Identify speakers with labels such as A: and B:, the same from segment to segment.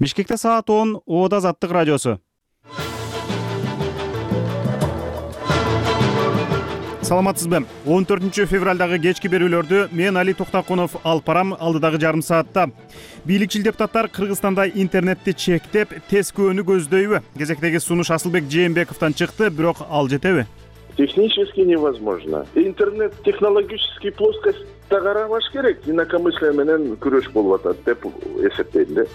A: Бишкекте саат 10 Ода Азаттык радиосу. Саламатсызбы? 14 февралдагы кечки берүүлөрдү мен Али Токтакунов алып барам. Алдыдагы жарым саатта бийликчил депутаттар Кыргызстанда интернетти чектеп, тескөөнү көздөйбү? Кезектеги сунуш Асылбек Жээнбековдон чыкты, бирок ал жетеби?
B: Технически невозможно. Интернет технологический плоскостьта карабаш керек. Инакомыслие менен күрөш болуп атат деп эсептейм да.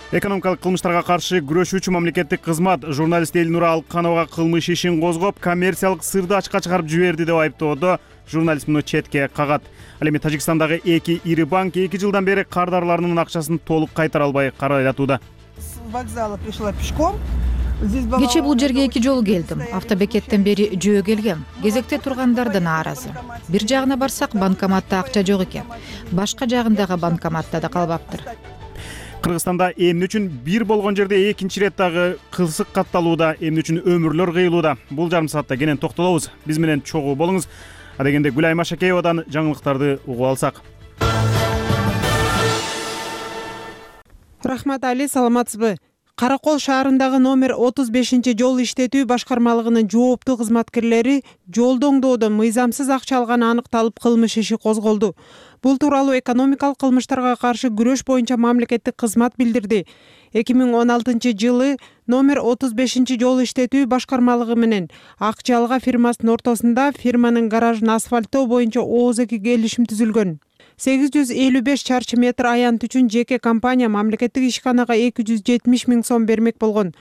A: Экономикалык кылмыштарга каршы күрөшүүчү мамлекеттик кызмат журналист Элнура Алыкхановага кылмыш ишин козгоп, коммерциялык сырды ачыкка чыгарып жиберди деп айыптоодо. Журналист муну четке кагат. Ал эми Тажикстандагы 2 ири банк 2 жылдан бери кардарларынын акчасын толук кайтара албай карайлатууда.
C: С вокзала пришла пешком.
D: Кечээ бул жерге 2 жолу келдим. Автобекеттен бери жөө келгем. Кезекте тургандар нааразы. Бир жагына барсак банкоматта акча жок экен. Башка жагындагы банкоматта да калбаптыр.
A: Кыргызстанда эмне үчүн бир болгон жерде экинчи ирет дагы кырсык катталууда, эмне үчүн өмүрлөр кыйылууда? Бул жарым саатта кенен токтолобуз. Биз менен чогуу болуңуз. Адегенде Гүлайым Ашакеевадан жаңылыктарды угуп алсак.
C: Рахмат Али, саламатсызбы? Каракол шаарындагы номер 35-жол иштетүү башкармалыгынын жооптуу кызматкерлери жолду оңдоодон мыйзамсыз акча алганы аныкталып кылмыш иши козголду. Бул тууралуу экономикалык кылмыштарга каршы күрөш боюнча мамлекеттик кызмат билдирди. 2016-жылы номер 35-жол иштетүү башкармалыгы менен Ак Жалга фирмасынын ортосунда фирманын гаражын асфальттоо боюнча ооз-эки келишим түзүлгөн. 855 чарчы метр аянт үчүн жеке компания мамлекеттик ишканага 270 миң сом бермек болгон.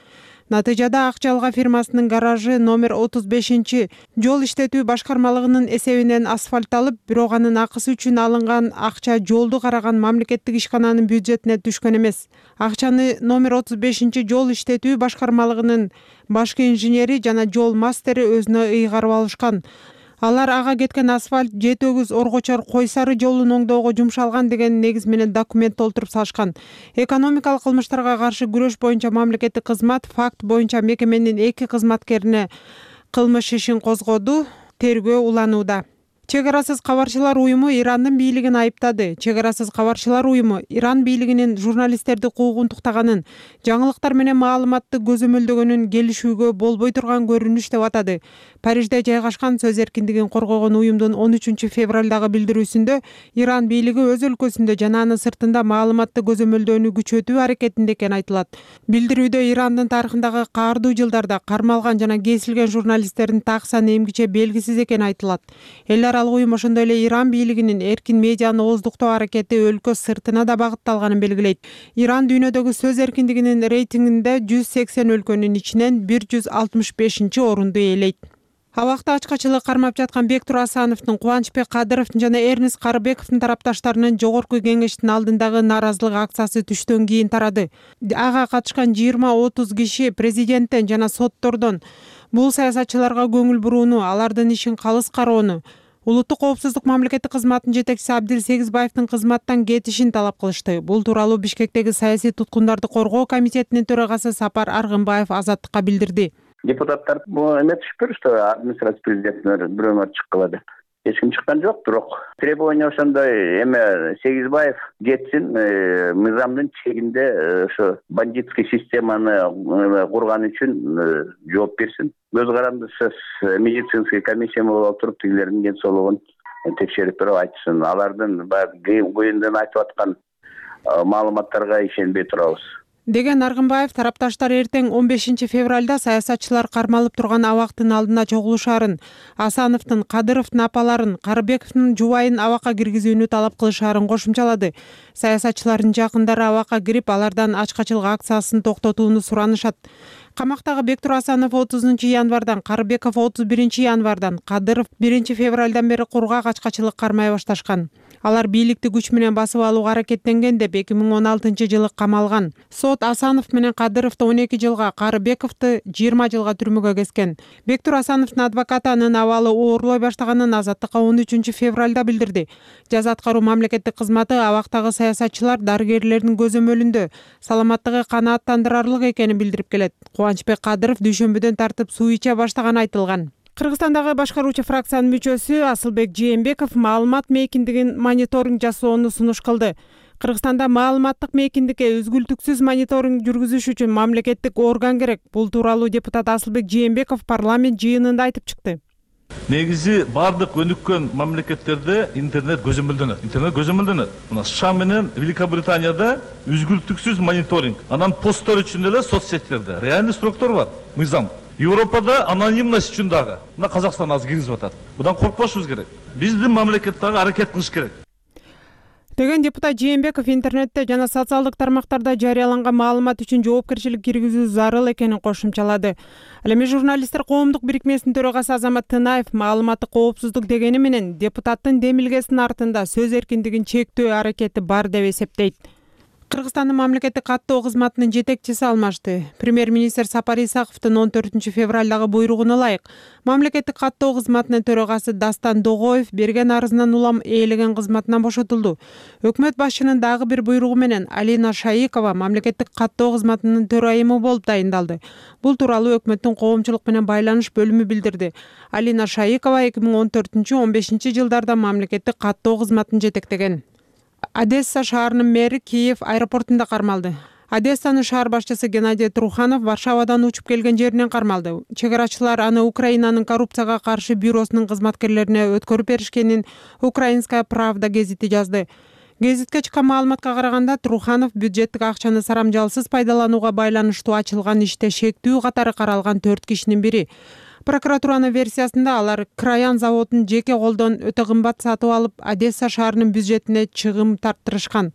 C: Натыйжада Ак Жалга фирмасынын гаражы номер 35 жол иштетүү башкармалыгынын эсебинен асфальтталып, бирок анын акысы үчүн алынган акча жолду караган мамлекеттик ишкананын бюджетине түшкөн эмес. Акчаны номер 35 жол иштетүү башкармалыгынын башкы инженери жана жол мастери өзүнө ыйгарып алышкан. Алар ага кеткен асфальт Жетөгүз Оргочор Кой Сары жолун оңдоого жумшалган деген негиз менен документ толтуруп салышкан. Экономикалык кылмыштарга каршы күрөш боюнча мамлекеттик кызмат факт боюнча мекеменин 2 кызматкерине кылмыш ишин козгоду, тергөө уланууда. Чек арасыз кабарчылар уюму Ирандын бийлигин айыптады. Чек арасыз кабарчылар уюму Иран бийлигинин журналисттерди куугунтуктаганын, жаңылыктар менен маалыматты көзөмөлдөгөнүн келишүүгө болбой турган көрүнүш деп атады. Парижде жайгашкан сөз эркиндигин коргогон уюмдун 13 февралдагы билдирүүсүндө Иран бийлиги өз өлкөсүндө жана анын сыртында маалыматты көзөмөлдөөнү күчөтүү аракетинде экени айтылат. Билдирүүдө Ирандын тарыхындагы каардуу жылдарда кармалган жана кесилген журналисттердин так саны эмгиче белгисиз экени айтылат. Эл аралык уюм ошондой эле Иран бийлигинин эркин медианы ооздуктоо аракети өлкө сыртына да багытталганын белгилейт. Иран дүйнөдөгү сөз эркиндигинин рейтингинде 180 өлкөнүн ичинен 165-орунду ээлейт. Абакта ачкачылык кармап жаткан Бектур Асановдун, Кубанычбек Кадыровдун жана Эрнест Карыбековдун тарапташтарынын жогорку кеңештин алдындагы нааразылык акциясы түштөн кийин тарады. Ага катышкан 20-30 киши президенттен жана соттордон бул саясатчыларга көңүл бурууну, алардын ишин калыс кароону, Улуттук коопсуздук мамлекеттик кызматынын жетекчиси Абдил Сегизбаевдин кызматтан кетишин талап кылышты. Бул тууралуу Бишкектеги саясий туткундарды коргоо комитетинин төрагасы Сапар Аргынбаев Азаттыкка билдирди.
E: Депутаттар эме түшүптүр, что администрация президентин бирөөнөр чыккыла деп. Эч ким чыккан жок, бирок требование ошондой эме Сегизбаев кетсин, мыйзамдын чегинде ошо бандитский системаны курган үчүн жооп берсин. Көз карандысыз медицинский комиссия болуп туруп тигилердин ден соолугун текшерип туруп айтсын. Алардын баягы көйүндөн айтып аткан маалыматтарга ишенбей турабыз
C: деген Аргынбаев тарапташтар эртең 15 февралда саясатчылар кармалып турган абактын алдына чогулушаарын, Асановдун, Кадыровдун апаларын, Карыбековдун жубайын абакка киргизүүнү талап кылышаарын кошумчалады. Саясатчылардын жакындары абакка кирип, алардан ачкачылык акциясын токтотууну суранышат. Камактагы Бектур Асанов 30 январдан, Карыбеков 31 январдан, Кадыров 1 февралдан бери кургак ачкачылык кармай башташкан. Алар бийликти күч менен басып алууга аракеттенген деп 2016-жылы камалган. Сот Асанов менен Кадыровду 12 жылга, Карыбековду 20 жылга түрмөгө кескен. Бектур Асановдун адвокаты анын абалы оорлой баштаганын Азаттыкка 13 февралда билдирди. Жаза аткаруу мамлекеттик кызматы абактагы саясатчылар дарыгерлердин көзөмөлүндө саламаттыгы канааттандырарлык экенин билдирип келет. Кубанычбек Кадыров дүйшөмбүдөн тартып суу иче баштаганы айтылган. Кыргызстандагы башкаруучу фракциянын мүчөсү Асылбек Жээнбеков маалымат мейкиндигин мониторинг жасоону сунуш кылды. Кыргызстанда маалыматтык мейкиндикке үзгүлтүксүз мониторинг жүргүзүш үчүн мамлекеттик орган керек. Бул тууралуу депутат Асылбек Жээнбеков парламент жыйынында айтып чыкты.
F: Негизи бардык өнүккөн мамлекеттерде интернет көзөмөлдөнөт. Мына США менен Великобританияда үзгүлтүксүз мониторинг. Анан посттор үчүн эле соц сеттерде реальный сроктор бар. Мыйзам. Европада анонимность үчүн дагы. Мына Казакстан азыр киргизип атат. Будан коркпошубуз керек. Биздин мамлекет дагы аракет кылыш керек.
C: Деген депутат Жээнбеков интернетте жана социалдык тармактарда жарыяланган маалымат үчүн жоопкерчилик киргизүү зарыл экенин кошумчалады. Ал эми журналисттер коомдук бирикмесинин төрагасы Азамат Тынаев маалыматтык коопсуздук дегени менен депутаттын демилгесинин артында сөз эркиндигин чектөө аракети бар деп эсептейт. Кыргызстандын мамлекеттик каттоо кызматынын жетекчиси алмашты. Премьер-министр Сапар Исаковдун 14 февралдагы буйругуна ылайык мамлекеттик каттоо кызматынын төрагасы Дастан Догоев берген арызынан улам ээлеген кызматынан бошотулду. Өкмөт башчынын дагы бир буйругу менен Алина Шаикова мамлекеттик каттоо кызматынын төрайымы болуп дайындалды. Бул тууралуу өкмөттүн коомчулук менен байланыш бөлүмү билдирди. Алина Шаикова 2014-15 жылдарда мамлекеттик каттоо кызматын жетектеген. Одесса шаарынын мэри Киев аэропортунда кармалды. Одессанын шаар башчысы Геннадий Труханов Варшавадан учуп келген жеринен кармалды. Чегарачылар аны Украинанын коррупцияга каршы бюросунун кызматкерлерине өткөрүп беришкенин Украинская правда гезити жазды. Гезитке чыккан маалыматка караганда Труханов бюджеттик акчаны сарамжалсыз пайдаланууга байланыштуу ачылган иште шектүү катары каралган 4 кишинин бири. Прокуратуранын версиясында алар Краян заводун жеке колдон өтө кымбат сатып алып, Одесса шаарынын бюджетине чыгым тарттырышкан.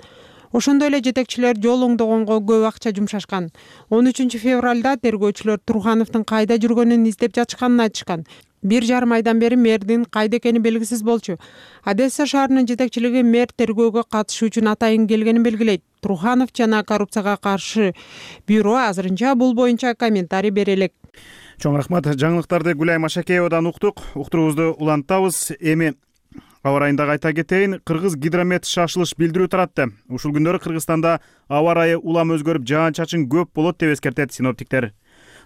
C: Ошондой эле жетекчилер жол оңдогонго көп акча жумшашкан. 13 февралда тергөөчүлөр Трухановдун кайда жүргөнүн издеп жатышканын айтышкан. 1,5 айдан бери мэрдин кайда экени белгисиз болчу. Одесса шаарынын жетекчилиги мэр тергөөгө катышуу үчүн атайын келгенин белгилейт. Труханов жана коррупцияга каршы бюро азырынча бул боюнча комментарий бере элек.
A: Чоң рахмат. Жаңылыктарды Гүлай Машакеевадан уктук. Уктуруубузду улантабыз. Эми аба райында айта кетейин, Кыргыз гидромет шашылыш билдирүү таратты. Ушул күндөрү Кыргызстанда аба райы улам өзгөрүп, жаан-чачын көп болот деп эскертет синоптиктер.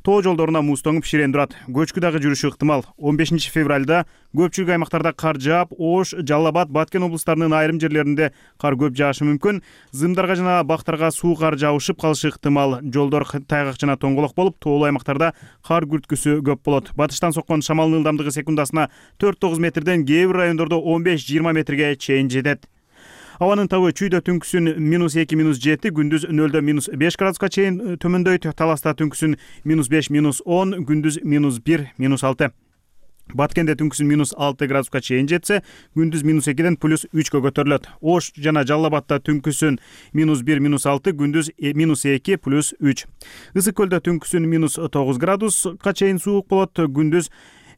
A: Тоо жолдоруна муз тоңуп ширен турат. Көчкү дагы жүрүшү ыктымал. 15 февралда көпчүлүк аймактарда кар жаап, Ош, Жалал Абад, Баткен облустарынын айрым жерлеринде кар көп жаашы мүмкүн. Зымдарга жана бактарга суу кар жаушып калышы ыктымал. Жолдор тайгак жана тоңголок болуп, тоолуу аймактарда кар күрткүсү көп болот. Батыштан соккон шамалдын ылдамдыгы секундасына 4-9 метрден, кээ бир райондордо 15-20 метрге чейин жетет. Абанын табы чүйдө түнкүсүн -2, -7, күндүз 0-5 градуска чейин төмөндөйт. Таласта түнкүсүн -5, -10, күндүз -1, -6. Баткенде түнкүсүн -6 градуска чейин жетсе, күндүз -2ден +3кө көтөрүлөт. Ош жана Жалал Абадта түнкүсүн -1, -6, күндүз -2 +3. Ысык көлдө түнкүсүн -9 градуска чейин суук болот, күндүз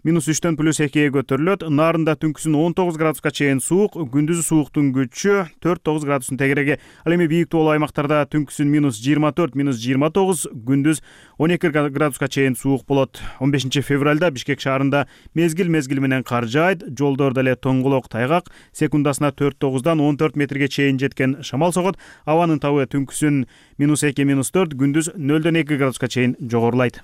A: -3ден +2 көтөрүлөт. Нарында түнкүсүн 19 градуска чейин суук, күндүзү сууктун күчү 4-9 градустун тегереги. Ал эми бийик тоолуу аймактарда түнкүсүн -24, -29, күндүз 12 градуска чейин суук болот. 15 февралда Бишкек шаарында мезгил менен кар жаайт, жолдордо эле тоңголок тайгак, секундасына 4-9дан 14 метрге чейин жеткен шамал согот. Абанын табы түнкүсүн -2, -4, күндүз 0-2 градуска чейин жогорулайт.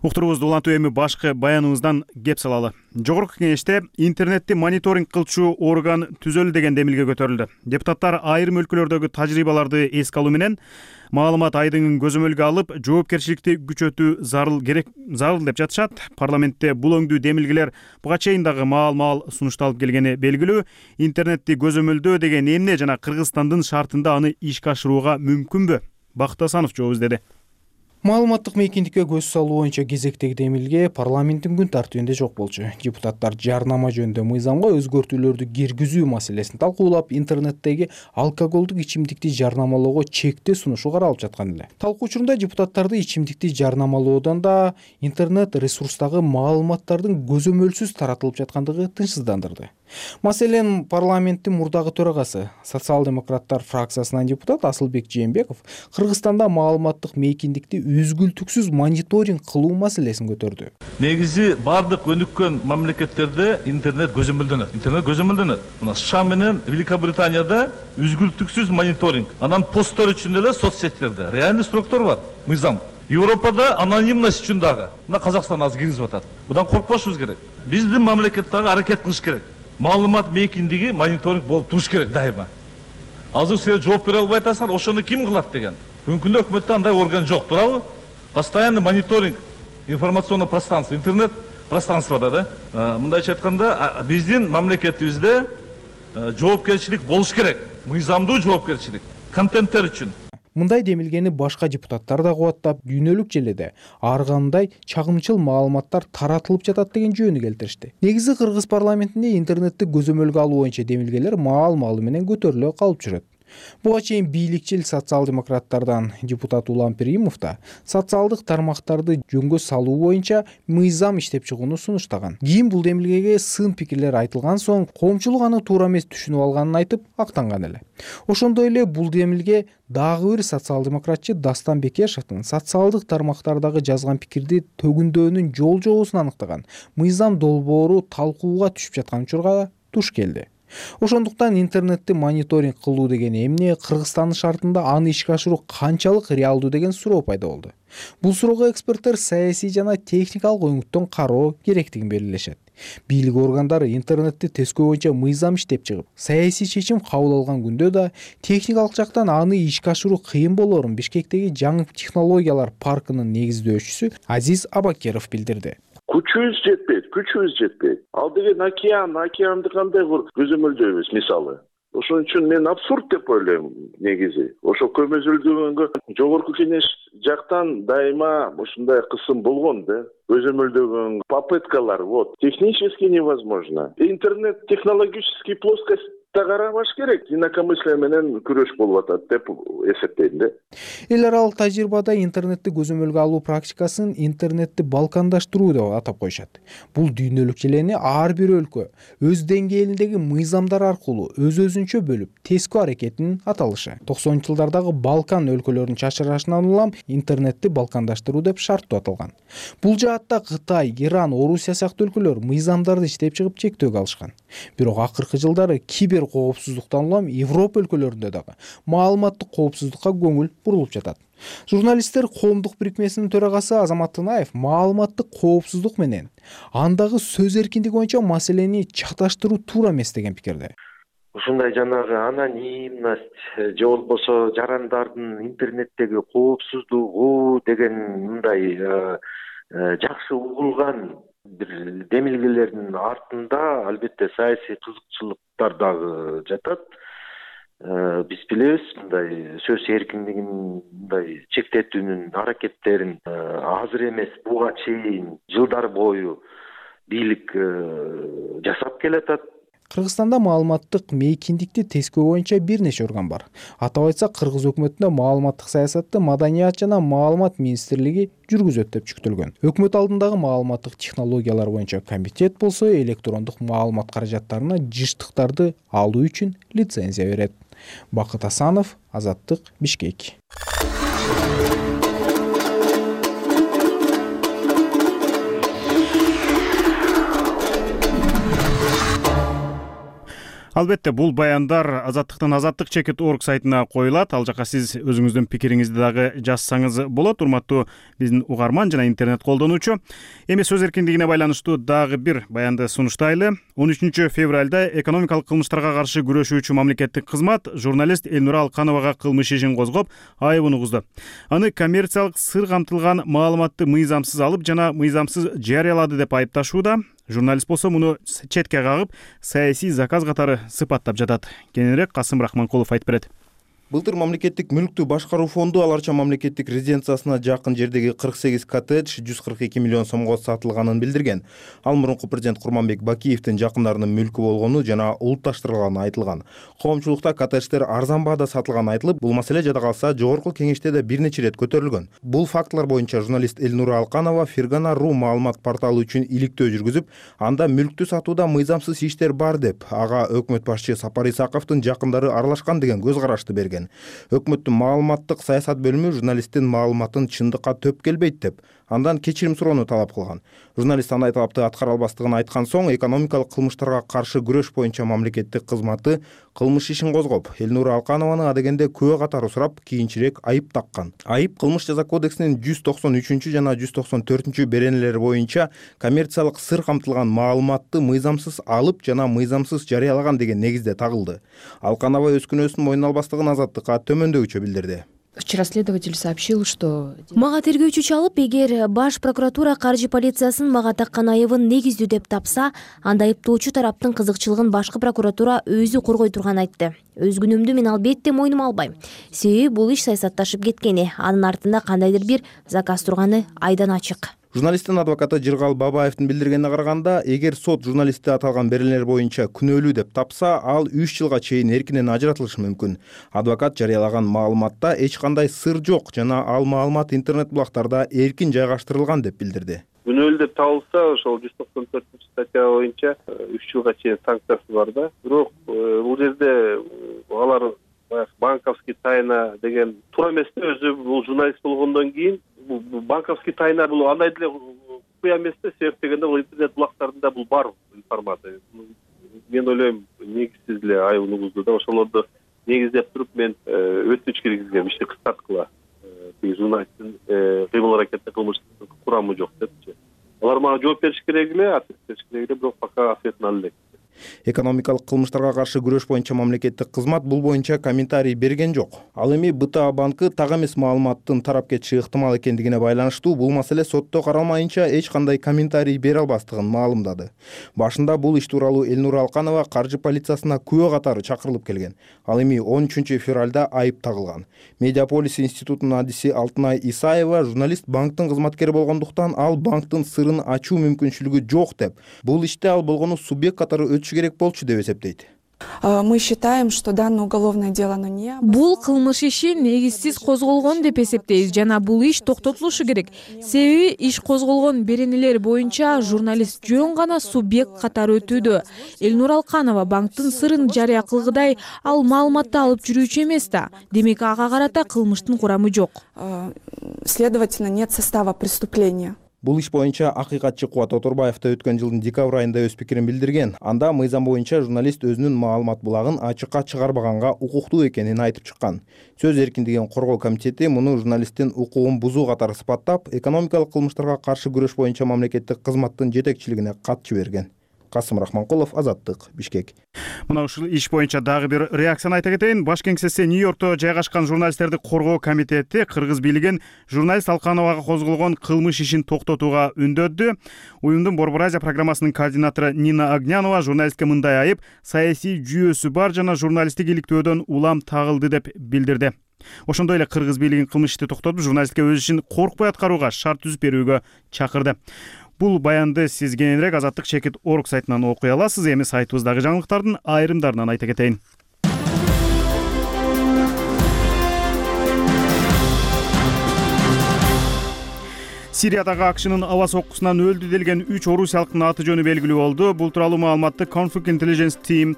A: Уктуруубузду улантуу эми башкы баяныбыздан кеп салалы. Жогорку кеңеште интернетти мониторинг кылчу орган түзөлү деген демилге көтөрүлдү. Депутаттар айрым өлкөлөрдөгү тажрыйбаларды эске алуу менен маалымат айдыгын көзөмөлгө алып, жоопкерчиликти күчөтүү зарыл деп жатышат. Парламентте бул өңдүү демилгелер буга чейин дагы маал сунушталып келгени белгилүү. Интернетти көзөмөлдөө деген эмне жана Кыргызстандын шартында аны ишке ашырууга мүмкүнбү? Бакыт Асанов жооп издеди.
G: Маалыматтык мейкиндикке көз салуу боюнча кезектеги демилге парламенттин күн тартибинде жок болчу. Депутаттар жарнама жөнүндө мыйзамга өзгөртүүлөрдү киргизүү маселесин талкуулап, интернеттеги алкоголдук ичимдикти жарнамалоого чектөө сунушу каралып жаткан эле. Талкуу учурунда депутаттарды ичимдикти жарнамалоодон да интернет ресурстагы маалыматтардын көзөмөлсүз таратылып жаткандыгы тынчсыздандырды. Маселен, парламенттин мурдагы төрагасы, социал-демократтар фракциясынан депутат Асылбек Жээнбеков Кыргызстанда маалыматтык мейкиндикти үзгүлтүксүз мониторинг кылуу маселесин көтөрдү.
F: Негизи бардык өнүккөн мамлекеттерде интернет көзөмөлдөнөт. Мына США менен Великобританияда үзгүлтүксүз мониторинг. Анан посттор үчүн эле соц сеттерде реальный сроктор бар. Мыйзам. Европада анонимность үчүн дагы мына Казакстан азыр киргизип атат. Будан коркпошубуз керек. Биздин мамлекет дагы аракет кылыш керек. Маалымат мейкиндиги мониторинг болуп туруш керек дайыма. Азыр сен жооп бере албай атасың, ошону ким кылат деген. Бүгүнкү күндө өкмөттө андай орган жок, туурабы? Постоянный мониторинг информационный пространство, интернет пространствода да. Мындайча айтканда, биздин мамлекетибизде жоопкерчилик болуш керек. Мыйзамдуу жоопкерчилик контенттер үчүн.
G: Мындай демилгени башка депутаттар да кубаттап, дүйнөлүк желеде ар кандай чагымчыл маалыматтар таратылып жатат деген жөнү келтиришти. Негизи Кыргыз парламентинде интернетти көзөмөлгө алуу боюнча демилгелер маал-маалы менен көтөрүлө калып жүрөт. Буга чейин бийликчил социал-демократтардан депутат Улам Перимов да социалдык тармактарды жөнгө салуу боюнча мыйзам иштеп чыгууну сунуштаган. Кийин бул демилгеге сын пикирлер айтылган соң коомчулук аны туура эмес түшүнүп алганын айтып актанган эле. Ошондой эле бул демилге дагы бир социал-демократчы Дастан Бекешевдин социалдык тармактардагы жазган пикирди төгүндөөнүн жол-жобосун аныктаган мыйзам долбоору талкууга түшүп жаткан учурга туш келди. Ошондуктан интернетти мониторинг кылуу деген эмне, Кыргызстандын шартында аны ишке ашыруу канчалык реалдуу деген суроо пайда болду. Бул суроого эксперттер саясий жана техникалык өңүттөн кароо керектигин белгилешет. Бийлик органдары интернетти тескөө боюнча мыйзам иштеп чыгып, саясий чечим кабыл алган күндө да техникалык жактан аны ишке ашыруу кыйын болоорун Бишкектеги жаңы технологиялар паркынын негиздөөчүсү Азиз Абакеров билдирди.
B: Күчүбүз жетпейт. Ал деген океанды кандай көзөмөлдөйбүз мисалы. Ошон үчүн мен абсурд деп ойлойм негизи. Ошо көзөмөлдөгөнгө жогорку кеңеш жактан дайыма ушундай кысым болгон да. Көзөмөлдөгөн попыткалар технически невозможно. Интернет технологический плоскость карабаш керек, инакомыслие менен күрөш болуп атат деп эсептейм да.
G: Эл аралык тажрыйбада интернетти көзөмөлгө алуу практикасын интернетти балкандаштыруу деп атап коюшат. Бул дүйнөлүк желени ар бир өлкө өз деңгээлиндеги мыйзамдар аркылуу өз-өзүнчө бөлүп, тескөө аракетинин аталышы. 90-жылдардагы Балкан өлкөлөрүнүн чачырашынан улам интернетти балкандаштыруу деп шарттуу аталган. Бул жаатта Кытай, Иран, Орусия сыяктуу өлкөлөр мыйзамдарды иштеп чыгып чектөөгө алышкан. Бирок акыркы жылдары кибер коопсуздуктан улам Европа өлкөлөрүндө дагы маалыматтык коопсуздукка көңүл бурулуп жатат. Журналисттер коомдук бирикмесинин төрагасы Азамат Тынаев маалыматтык коопсуздук менен андагы сөз эркиндиги боюнча маселени чаташтыруу туура эмес деген пикирде.
H: Ушундай жанагы анонимность же болбосо жарандардын интернеттеги коопсуздугу деген мындай жакшы угулган бир демилгелердин артында албетте саясий кызыкчылыктар дагы жатат. Биз билебиз, мындай сөз эркиндигин мындай чектетүүнүн аракеттерин азыр эмес, буга чейин жылдар бою бийлик жасап келатат.
G: Кыргызстанда маалыматтык мейкиндикти тескөө боюнча бир нече орган бар. Атап айтсак, Кыргыз өкмөтүндө маалыматтык саясатты Маданият жана маалымат министрлиги жүргүзөт деп күтүлгөн. Өкмөт алдындагы маалыматтык технологиялар боюнча комитет болсо электрондук маалымат каражаттарына жыштыктарды алуу үчүн лицензия берет. Бакыт Асанов, Азаттык, Бишкек.
A: Албетте, бул баяндар Азаттыктын azattik.org сайтына коюлат. Ал жака сиз өзүңүздүн пикириңизди дагы жазсаңыз болот. Урматтуу биздин угарман жана интернет колдонуучу. Эми сөз эркиндигине байланыштуу дагы бир баянды сунуштайлы. 13 февралда экономикалык кылмыштарга каршы күрөшүүчү мамлекеттик кызмат журналист Элнура Алкановага кылмыш ишин козгоп, айыбын угузду. Аны коммерциялык сыр камтылган маалыматты мыйзамсыз алып жана мыйзамсыз жарыялады деп айыпташууда. Журналист болсо муну четке кагып, саясий заказ катары сыпаттап жатат. Кененирээк Касым Рахманкулов айтып берет.
I: Былтыр мамлекеттик мүлктү башкаруу фонду Аларча мамлекеттик резиденциясына жакын жердеги 48 коттедж 142 миллион сомго сатылганын билдирген. Ал мурунку президент Курманбек Бакиевдин жакындарынын мүлкү болгону жана улутташтырылганы айтылган. Коомчулукта коттедждер арзан баада сатылганы айтылып, бул маселе жада калса жогорку кеңеште да бир нече ирет көтөрүлгөн. Бул фактылар боюнча журналист Элнура Алканова Фергана.ру маалымат порталы үчүн иликтөө жүргүзүп, анда мүлктү сатууда мыйзамсыз иштер бар деп, ага өкмөт башчы Сапар Исаковдун жакындары аралашкан деген көз карашты берген. Өкмөттүн маалыматтык саясат бөлүмү журналисттин маалыматын чындыкка төп келбейт деп, андан кечирим суроону талап кылган. Журналист андай талапты аткара албастыгын айткан соң экономикалык кылмыштарга каршы күрөш боюнча мамлекеттик кызматы кылмыш ишин козгоп, Элнура Алканованы адегенде күбө катары сурап, кийинчерээк айып таккан. Айып Кылмыш жаза кодексинин 193 жана 194 беренелери боюнча коммерциялык сыр камтылган маалыматты мыйзамсыз алып жана мыйзамсыз жарыялаган деген негизде тагылды. Алканова өз күнөөсүн мойнуна албастыгын Азаттыкка төмөндөгүчө билдирди.
J: Вчера следователь сообщил, что
K: мага тергөөчү чалып, эгер баш прокуратура каржы полициясынын мага таккан айыбын негиздүү деп тапса, анда айыптоочу тараптын кызыкчылыгын башкы прокуратура өзү коргой турганын айтты. Өз күнөөмдү мен албетте мойнума албайм. Себеби бул иш саясатташып кеткени, анын артында кандайдыр бир заказ турганы айдан ачык.
I: Журналисттин адвокаты Жыргал Бабаевдин билдиргенине караганда, эгер сот журналистти аталган беренелер боюнча күнөөлүү деп тапса, ал 3 жылга чейин эркинен ажыратылышы мүмкүн. Адвокат жарыялаган маалыматта эч кандай сыр жок жана ал маалымат интернет булактарда эркин жайгаштырылган деп билдирди.
L: Күнөөлүү деп табылса, ошол 194-статья боюнча 3 жылга чейин санкциясы бар да. Бирок бул жерде алар банковский тайна деген туура эмес да, өзү бул журналист болгондон кийин банковский тайна бул андай деле куя эмес да, себеп дегенде бул интернет булактарында бул бар информация. Мен ойлойм, негизсиз эле айып угузду да, ошолорду негиздеп туруп мен өтүнүч киргизгем, ишти кыскарткыла. Журналисттин кыймыл аракети кылмыштын курамы жок депчи. Алар мага жооп бериш керек эле, ответ бериш керек эле, бирок пока ответін ала элек.
I: Экономикалык кылмыштарга каршы күрөш боюнча мамлекеттик кызмат бул боюнча комментарий берген жок. Ал эми БТА банкы так эмес маалыматтын тарап кетиши ыктымал экендигине байланыштуу бул маселе сотто каралмайынча эч кандай комментарий бере албастыгын маалымдады. Башында бул иш тууралуу Элнура Алканова каржы полициясына күбө катары чакырылып келген. Ал эми 13 февралда айып тагылган. Медиаполис институтунун адиси Алтынай Исаева журналист банктын кызматкери болгондуктан ал банктын сырын ачуу мүмкүнчүлүгү жок деп, бул иште ал болгону субъект катары керек болчу деп эсептейт.
M: Мы считаем, что данное уголовное дело не
N: бул кылмыш иши негизсиз козголгон деп эсептейбиз жана бул иш токтотулушу керек. Себеби иш козголгон беренелер боюнча журналист жөн гана субъект катары өтүүдө. Элнура Алканова банктын сырын жарыя кылгыдай ал маалыматты алып жүрүүчү эмес да. Демек ага карата кылмыштын курамы жок.
M: Следовательно, нет состава преступления.
I: Бул иш боюнча акыйкатчы Кубат Оторбаев да өткөн жылдын декабрь айында өз пикирин билдирген. Анда мыйзам боюнча журналист өзүнүн маалымат булагын ачыкка чыгарбаганга укуктуу экенин айтып чыккан. Сөз эркиндигин коргоо комитети муну журналисттин укугун бузуу катары сыпаттап, экономикалык кылмыштарга каршы күрөш боюнча мамлекеттик кызматтын жетекчилигине кат жиберген. Касым Рахманкулов, Азаттык, Бишкек.
A: Мына ушул иш боюнча дагы бир реакцияны айта кетейин. Баш кеңсеси Нью-Йоркто жайгашкан журналисттерди коргоо комитети кыргыз бийлигин журналист Алкановага козголгон кылмыш ишин токтотууга үндөдү. Уюмдун Борбор Азия программасынын координатору Нина Огнянова журналистке мындай айып саясий жүйөсү бар жана журналисттик иликтөөдөн улам тагылды деп билдирди. Ошондой эле кыргыз бийлигин кылмыш ишти токтотуп, журналистке өз ишин коркпой аткарууга шарт түзүп берүүгө чакырды. Бул баянды сиз кененирээк Азаттык-org сайтынан окуй аласыз. Эми сайтыбыздагы жаңылыктардын айрымдарынан айта кетейин. Сириядагы акшынын аба соккусунан өлдү делген 3 орусиялыктын аты жөнү белгилүү болду. Бул тууралуу маалыматты Conflict Intelligence Team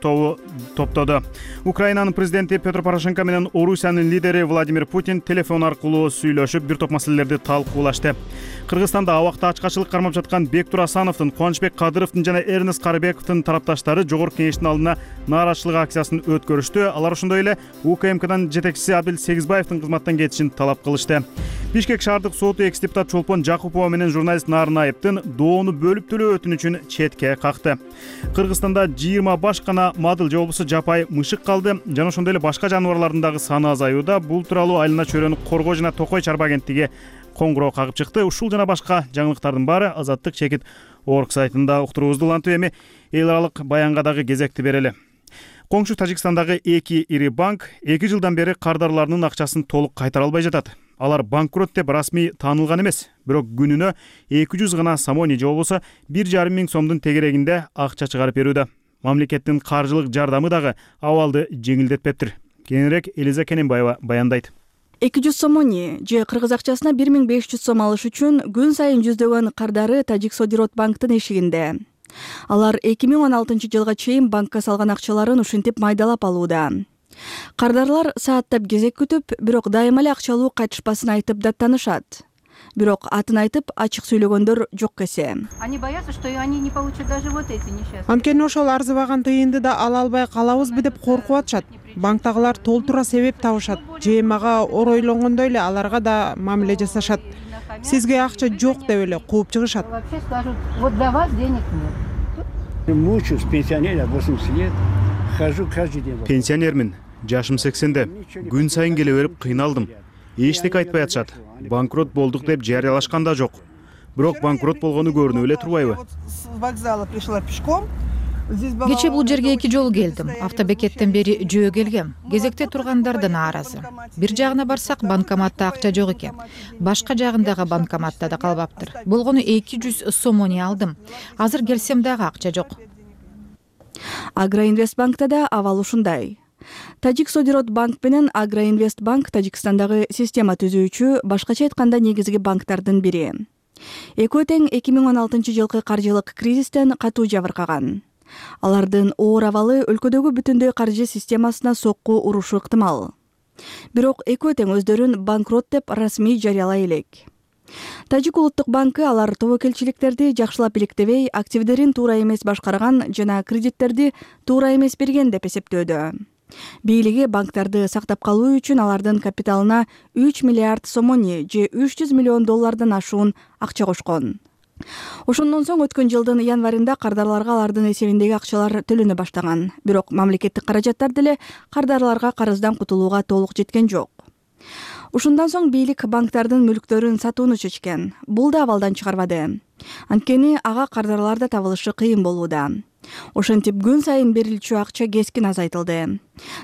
A: топтоду. Украинанын президенти Петр Порошенко менен Орусиянын лидери Владимир Путин телефон аркылуу сүйлөшүп, бир топ маселелерди талкуулашты. Кыргызстанда абакта ачкачылык кармап жаткан Бектур Асановдун, Кубанычбек Кадыровдун жана Эрнест Карыбековдун тарапташтары Жогорку Кеңештин алдына нааразычылык акциясын өткөрүштү. Алар ошондой эле УКМКдан жетекчиси Абил Сегизбаевдин кызматтан кетишин талап кылышты. Бишкек шаардык соту экс-депутат Чолпон Жакупова менен журналист Нарынаевдин доону бөлүп төлөө өтүнүчүн четке какты. Кыргызстанда 20 башкана мадыл же болбосо жапай мышык калды. Жана ошондой эле башка жаныбарлардын дагы саны азаюуда. Бул тууралуу Айлана чөйрөнү коргоо жана Токой чарба агенттиги коңгуроо кагып чыкты. Ушул жана башка жаңылыктардын баары Азаттык-org сайтында уктуруубузду улантып, эми эл аралык баянга дагы кезекти берели. Коңшу Тажикстандагы 2 ири банк 2 жылдан бери кардарларынын акчасын толук кайтара албай жатат. Алар банкрот деп расмий таанылган эмес, бирок күнүнө 200 гана самони же болбосо 1,5 миң сомдун тегерегинде акча чыгарып берүүдө. Мамлекеттин каржылык жардамы дагы абалды жеңилдетпептир. Кененирээк Элиза Кененбаева баяндайт.
O: 200 сомони же кыргыз акчасына 1500 сом алыш үчүн күн сайын жүздөгөн кардары Тажиксодирот банктын эшигинде. Алар 2016 жылга чейин банкка салган акчаларын ушинтип майдалап алууда. Кардарлар сааттап кезек күтүп, бирок дайыма эле акчалуу кайтышпасын айтып даттанышат. Бирок атын айтып ачык сүйлөгөндөр жок эсе.
P: Они боятся, что они не получат даже вот эти несчастные.
C: Анткени ошол арзыбаган тыйынды да ала албай калабызбы деп коркуп атышат. Банктагылар толтура себеп табышат. ЖМага оройлонгондой эле аларга да мамиле жасашат. Сизге акча жок деп эле кууп чыгышат.
P: Вообще скажут, вот для вас денег нет.
Q: Мучаюсь, пенсионер, 80 лет. Хожу каждый день.
A: Пенсионермин. Жашым 80-де. Күн сайын келе берип кыйналдым. Эчтеке айтпай атышат. Банкрот болдук деп жарыялашкан да жок. Бирок банкрот болгону көрүнүп эле турбайбы?
R: С вокзала пришла пешком.
D: Кечээ бул жерге 2 жолу келдим. Автобекеттен бери жөө келгем. Кезекте тургандар нааразы. Бир жагына барсак банкоматта акча жок экен. Башка жагындагы банкоматта да калбаптыр. Болгону 200 сомони алдым. Азыр келсем дагы акча жок.
O: Агроинвестбанкта да абал ушундай. Тажиксодирот банк менен Агроинвестбанк Тажикстандагы система түзүүчү, башкача айтканда негизги банктардын бири. Экөө тең 2016 жылкы каржылык кризистен катуу жабыркаган. Алардын оор абалы өлкөдөгү бүтүндөй каржы системасына сокку урушу ыктымал. Бирок экөө тең өздөрүн банкрот деп расмий жарыялай элек. Тажик улуттук банкы алар тобокелчиликтерди жакшылап иликтебей, активдерин туура эмес башкарган жана кредиттерди туура эмес берген деп эсептөөдө. Бийлиги банктарды сактап калуу үчүн алардын капиталына 3 миллиард сомони же $300 миллион ашуун акча кошкон. Ошондон соң өткөн жылдын январында кардарларга алардын эсебиндеги акчалар төлөнө баштаган. Бирок мамлекеттик каражаттар деле кардарларга карыздан кутулууга толук жеткен жок. Ушундан соң бийлик банктардын мүлктөрүн сатууну чечкен. Бул да абалдан чыгарбады. Анткени ага кардарлар да табылышы кыйын болууда. Ошентип күн сайын берилчү акча кескин азайтылды.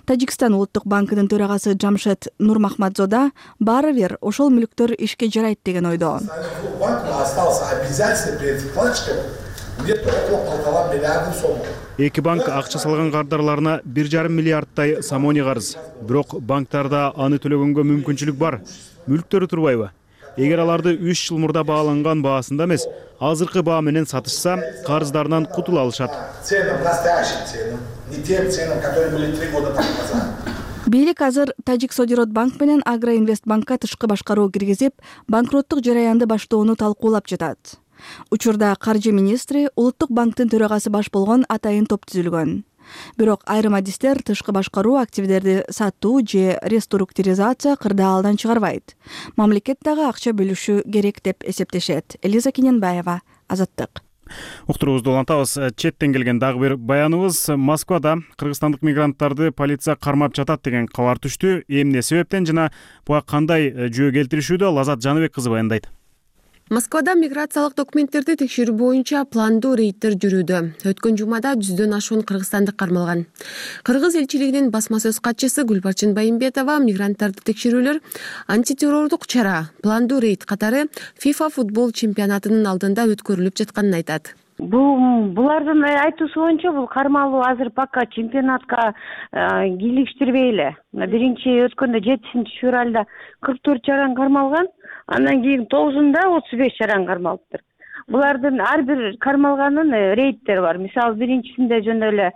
O: Тажикстан улуттук банкынын төрагасы Жамшед Нурмахмадзода баары бир ошол мүлктөр ишке жарайт деген ойдо.
A: Эки банк акча салган кардарларына 1,5 миллиардтай сомони карыз. Бирок банктарда аны төлөгөнгө мүмкүнчүлүк бар. Мүлктөрү турбайбы? Эгер аларды 3 жыл мурда бааланган баасында эмес, азыркы баа менен сатышса, карыздарынан кутула алышат.
O: Бийлик азыр Тажиксодирот банк менен Агроинвестбанкка тышкы башкаруу киргизип, банкроттук жараянды баштоону талкуулап жатат. Учурда каржы министри улуттук банктын төрагасы баш болгон атайын топ түзүлгөн. Бирок айрым адистер тышкы башкаруу активдерди сатуу же реструктуризация кырдаалдан чыгарбайт. Мамлекет дагы акча бөлүшү керек деп эсептешет. Элиза Кененбаева, Азаттык.
A: Уктуруубузду улантабыз. Четтен келген дагы бир баяныбыз. Москвада кыргызстандык мигранттарды полиция кармап жатат деген кабар түштү. Эмне себептен жана буга кандай жөө келтиришүүдө Лазат Жаныбек кызы баяндайт.
S: Москвада миграциялык документтерди текшерүү боюнча пландуу рейдтер жүрүүдө. Өткөн жумада 100дөн ашуун кыргызстандык кармалган. Кыргыз элчилигинин басма сөз катчысы Гүлбарчын Байымбетова мигранттарды текшерүүлөр антитеррордук чара, пландуу рейд катары FIFA футбол чемпионатынын алдында өткөрүлүп жатканын айтат.
T: Булардын айтуусу боюнча бул кармалуу азыр пока чемпионатка кийлиштирбей эле. Биринчи өткөндө 7-февралда 44 чаран кармалган, андан кийин 9-да 35 чаран кармалыптыр. Булардын ар бир кармалганын рейдтери бар. Мисалы биринчисинде жөн эле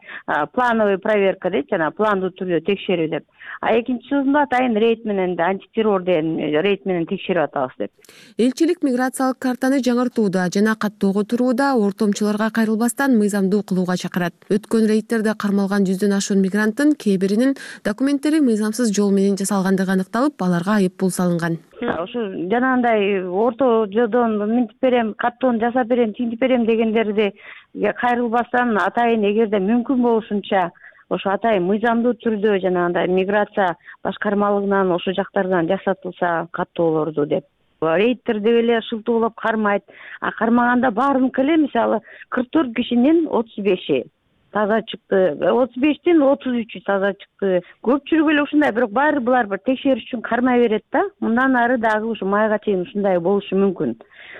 T: плановый проверка дейт, жана пландуу түрдө текшерүү деп. А экинчисинде атайын рейд менен антитеррор деген рейд менен текшерип атабыз деп.
S: Элчилик миграциялык картаны жаңыртууда жана каттоого турууда ортомчуларга кайрылбастан мыйзамдуу кылууга чакырат. Өткөн рейдтерде кармалган 100дөн ашуун мигранттын кээ биринин документтери мыйзамсыз жол менен жасалгандыгы аныкталып, аларга айып пул салынган.
T: Ошо жанагындай орто жолдон минтип берем, каттоону жасап берем, тинтип берем дегендерди кайрылбастан атайын эгерде мүмкүн болушунча ошо атайын мыйзамдуу түрдө жанагындай миграция башкармалыгынан ошо жактардан жасатылса каттоолорду деп. Рейдтер деп эле шылтоолоп кармайт. А кармаганда баарыныкы эле мисалы 44 кишинин 35и таза чыкты, 35тин 33-ü таза чыкты. Көпчүлүгү эле ушундай, бирок баары булар бир текшериш үчүн кармай берет да. Мындан ары дагы ушу майга чейин ушундай болушу мүмкүн.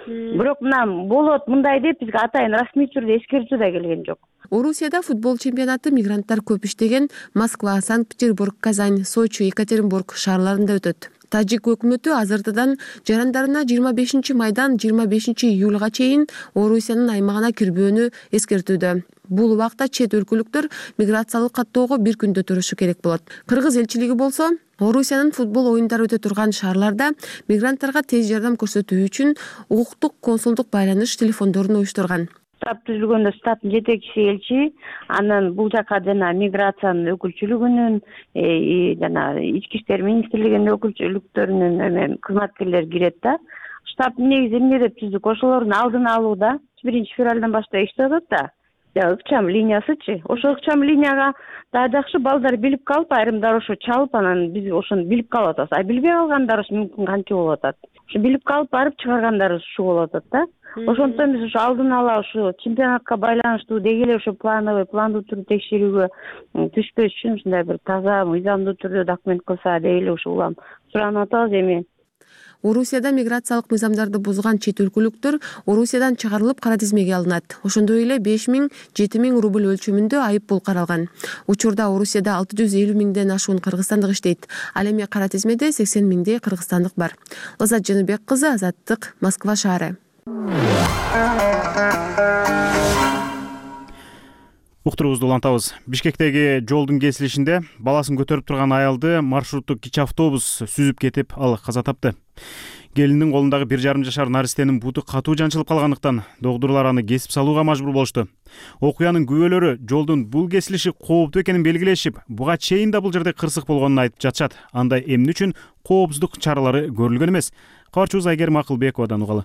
T: Бирок мына болот мындай деп бизге атайын расмий түрдө эскертүү да келген жок.
S: Орусияда футбол чемпионаты мигранттар көп иштеген Москва, Санкт-Петербург, Казань, Сочи, Екатеринбург шаарларында өтөт. Тажик өкмөтү азыртадан жарандарына 25 майдан 25 июлга чейин Орусиянын аймагына кирбөөнү эскертүүдө. Бул убакта чет өлкөлүктөр миграциялык каттоого бир күндө турушу керек болот. Кыргыз элчилиги болсо Орусиянын футбол оюндары өтө турган шаарларда мигранттарга тез жардам көрсөтүү үчүн укуктук консулдук байланыш телефондорун уюштурган.
T: Штаб түзүлгөндө штабтын жетекчиси элчи, анан бул жака жана миграциянын өкүлчүлүгүнүн, жана ички иштер министрлигинин өкүлчүлүктөрүнүн кызматкерлери кирет да. Штабтын негизи эмне деп түздүк? Ошолордун алдын алууда 1 февралдан баштап иштеп атат да. Ыкчам линиясычы. Ошо ыкчам линияга да жакшы балдар билип калып, айрымдар ошо чалып, анан биз ошону билип калып атабыз. А билбей калгандар мүмкүн кантип болуп атат? Ошо билип калып барып чыгаргандар ушу болуп атат да. Ошондон биз ошо алдын ала ушу чемпионатка байланыштуу деги эле ошо пландуу түрдө текшерүүгө түшпөш үчүн ушундай бир таза, мыйзамдуу түрдө документ кылса деп эле ушу улам суранып атабыз. Эми
S: Орусияда миграциялык мыйзамдарды бузган чет өлкөлүктөр Орусиядан чыгарылып кара тизмеге алынат. Ошондой эле 5000–7000 рубль өлчөмүндө айып пул каралган. Учурда Орусияда 650 миңден ашуун кыргызстандык иштейт. Ал эми кара тизмеде 80 миңдей кыргызстандык бар. Лазат Жаныбек кызы, Азаттык, Москва шаары.
A: Уктуруубузду улантабыз. Бишкектеги жолдун кесилишинде баласын көтөрүп турган аялды маршруттук кичи автобус сүзүп кетип, ал каза тапты. Келиндин колундагы 1,5 жашар наристенин буту катуу жанчылып калгандыктан доктурлар аны кесип салууга мажбур болушту. Окуянын күбөлөрү жолдун бул кесилиши кооптуу экенин белгилешип, буга чейин да бул жерде кырсык болгонун айтып жатышат. Анда эмне үчүн коопсуздук чаралары көрүлгөн эмес? Кабарчыбыз Айгерим Акылбековадан угалы.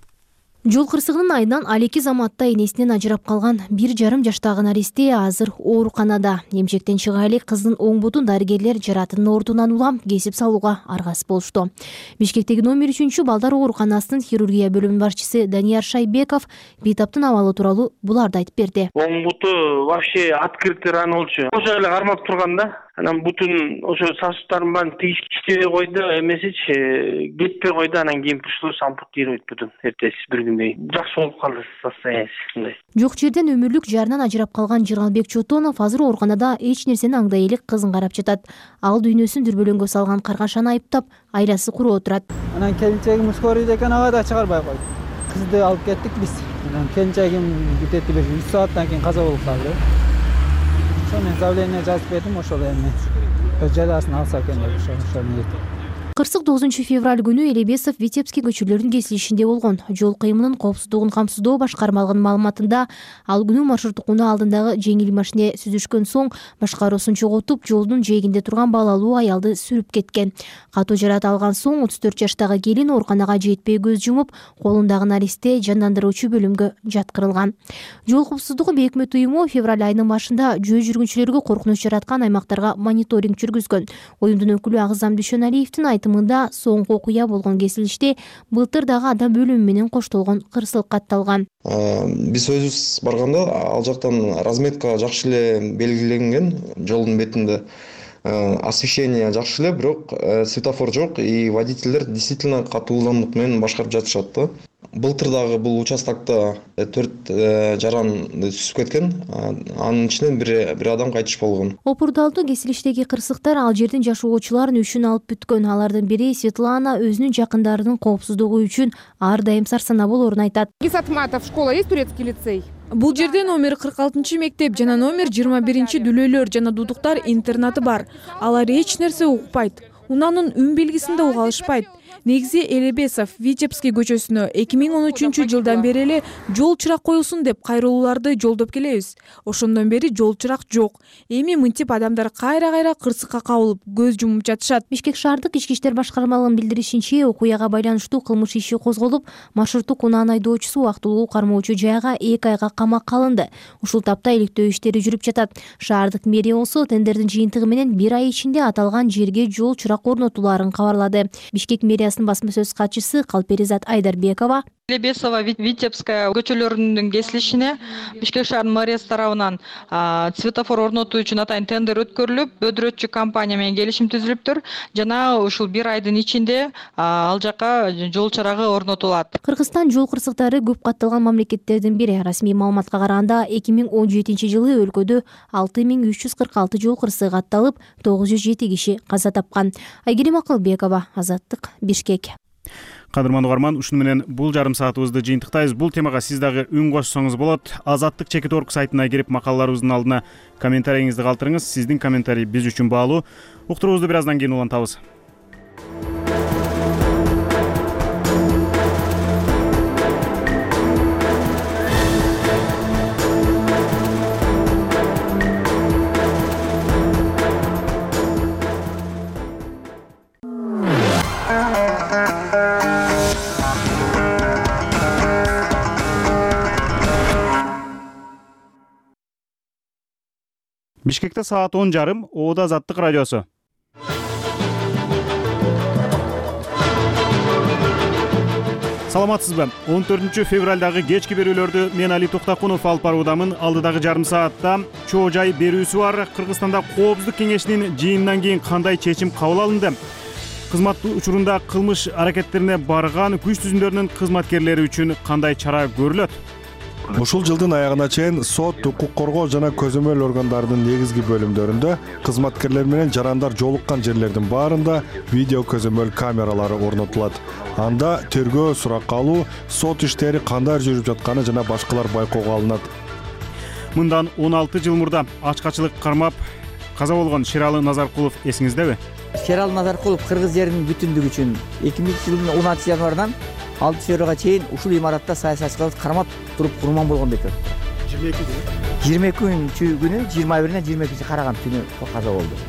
K: Жол кырсыгынын айынан алеки заматта энесинен ажырап калган 1,5 жаштагы наристе азыр ооруканада. Эмчектен чыга элек кыздын оң бутун дарыгерлер жаратынын ордунан улам кесип салууга аргасыз болушту. Бишкектеги номер 3 балдар ооруканасынын хирургия бөлүмүнүн башчысы Данияр Шайбеков бейтаптын абалы тууралуу буларды айтып берди.
U: Оң буту вообще открытый рана болчу. Ошо эле кармап турган да. Анан бутун ошо сосудтарын баарын тийиштебей койду, эмесичи кетпей койду. Анан кийин пришлось ампутировать бутун. Эртеси бир күндөй жакшы болуп калды состояниясы мындай.
K: Жок жерден өмүрлүк жарынан ажырап калган Жыргалбек Чотонов азыр ооруканада эч нерсени аңдай элек кызын карап жатат. Ал дүйнөсүн дүрбөлөңгө салган каргашаны айыптап, айласы куроо турат.
V: Анан келинчегим скорыйда экен, ага да чыгарбай койду. Кызды алып кеттик биз. Анан келинчегим бүтөтү бир 3 сааттан кийин каза болуп калды. Мен заявление жазып бердим, ошол эми жазасын алса экен деп ошол ниет.
K: Кырсык 9 февраль күнү Элебесов Витебский көчөлөрүнүн кесилишинде болгон. Жол кыймынын коопсуздугун камсыздоо башкармалыгынын маалыматында ал күнү маршруттук унаа алдындагы жеңил машине сүзүшкөн соң башкаруусун чогултуп, жолдун жээгинде турган балалуу аялды сүрүп кеткен. Катуу жарат алган соң 34 жаштагы келин ооруканага жетпей көз жумуп, колундагы наристе жандандыруучу бөлүмгө жаткырылган. Жол коопсуздугу өкмөт уюму февраль айынын башында жөө жүргүнчүлөргө коркунуч жараткан аймактарга мониторинг жүргүзгөн. Уюмдун өкүлү Агызам Дүйшөналиевдин айтымында соңку окуя болгон кесилиште былтыр дагы адам өлүмү менен коштолгон кырсык катталган.
W: Биз өзүбүз барганда ал жактан разметка жакшы эле белгиленген, жолдун бетинде освещение жакшы эле, бирок светофор жок и водительдер действительно катуу ылдамдык менен башкарып жатышат да. Былтыр дагы бул участокто 4 жаран сүзүп кеткен, анын ичинен бир адам кайтыш болгон.
K: Опурдалдуу кесилиштеги кырсыктар ал жердин жашоочуларын үшүн алып бүткөн. Алардын бири Светлана өзүнүн жакындарынын коопсуздугу үчүн ар дайым сарсанаа болоорун айтат.
X: Гисатматов школа есть, турецкий лицей?
N: Бул жерде номер 46 мектеп жана номер 21 дүлөөлөр жана дудуктар интернаты бар. Алар эч нерсе укпайт. Унаанын үн белгисин да уга алышпайт. Негизи Элебесов Витебский көчөсүнө 2013 жылдан бери эле жол чырак коюлсун деп кайрылууларды жолдоп келебиз. Ошондон бери жол чырак жок. Эми мынтип адамдар кайра кырсыкка кабылып, көз жумуп жатышат.
K: Бишкек шаардык ички иштер башкармалыгынын билдиришинче, окуяга байланыштуу кылмыш иши козголуп, маршруттук унаанын айдоочусу убактылуу кармоочу жайга 2 айга камакка алынды. Ушул тапта иликтөө иштери жүрүп жатат. Шаардык мэрия болсо тендердин жыйынтыгы менен 1 ай ичинде аталган жерге жол чырак орнотулаарын кабарлады. Бишкек мэриясы партиясынын басма сөз катчысы Калперизат Айдарбекова
B: Лебесова, Витебская көчөлөрүнүн кесилишине Бишкек шаарынын мэриясы тарабынан светофор орнотуу үчүн атайын тендер өткөрүлүп, өдүрөтчү компания менен келишим түзүлүптүр. Жана ушул бир айдын ичинде ал жака жол чарагы орнотулат.
K: Кыргызстан жол кырсыктары көп катталган мамлекеттердин бири. Расмий маалыматка караганда 2017 жылы өлкөдө 6346 жол кырсыгы катталып, 907 киши каза тапкан. Айгерим Акылбекова, Азаттык, Бишкек.
A: Кадырман угарман, ушуну менен бул жарым саатыбызды жыйынтыктайбыз. Бул темага сиз дагы үн кошсоңуз болот. Азаттык /org сайтына кирип макалаларыбыздын алдына комментарийиңизди калтырыңыз. Сиздин комментарий биз үчүн баалуу. Уктуруубузду бир аздан кийин улантабыз. Бишкекте саат 10:30, Оода Азаттык радиосу. Саламатсызбы? 14 февралдагы кечки берүүлөрдү мен Али Токтакунов алып баруудамын. Алдыдагы жарым саатта чоо жай берүүсү бар. Кыргызстанда Коопсуздук кеңешинин жыйынынан кийин кандай чечим кабыл алынды? Кызмат учурунда кылмыш аракеттерине барган күч түзүмдөрүнүн кызматкерлери үчүн кандай чара көрүлөт?
E: Ушул жылдын аягына чейин сот, укук коргоо жана көзөмөл органдарынын негизги бөлүмдөрүндө кызматкерлер менен жарандар жолуккан жерлердин баарында видео көзөмөл камералары орнотулат. Анда тергөө, суракка алуу, сот иштери кандай жүрүп жатканы жана башкалар байкоого алынат.
A: Мындан 16 жыл мурда ачкачылык кармап каза болгон Шералы Назаркулов эсиңиздеби?
F: Шералы Назаркулов кыргыз жеринин бүтүндүгү үчүн 2000 жылдын 16 январынан 6 февралга чейин ушул имаратта саясатчыларды кармап туруп курман болгон бекер. 22 күнү 21-ине 22 караган түнү каза болду.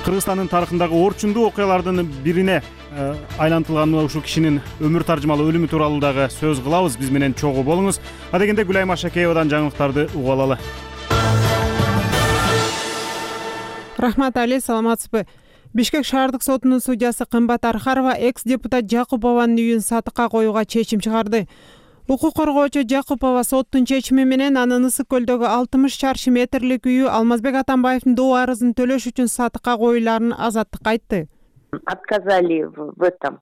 A: Кыргызстандын тарыхындагы орчундуу окуялардын бирине айлантылган ушул кишинин өмүр таржымалуу өлүмү тууралуу дагы сөз кылабыз. Биз менен чогуу болуңуз. Адегенде Гүлайым Ашакеевадан жаңылыктарды угуп алалы.
C: Рахмат Али, саламатсызбы? Бишкек шаардык сотунун судьясы Кымбат Архарова экс-депутат Жакупованын үйүн сатыкка коюуга чечим чыгарды. Укук коргоочу Жакупова соттун чечими менен анын Ысык көлдөгү 60 чарчы метрлик үйү Алмазбек Атамбаевдин доо арызын төлөш үчүн сатыкка коюларын Азаттыкка айтты.
H: Отказали в этом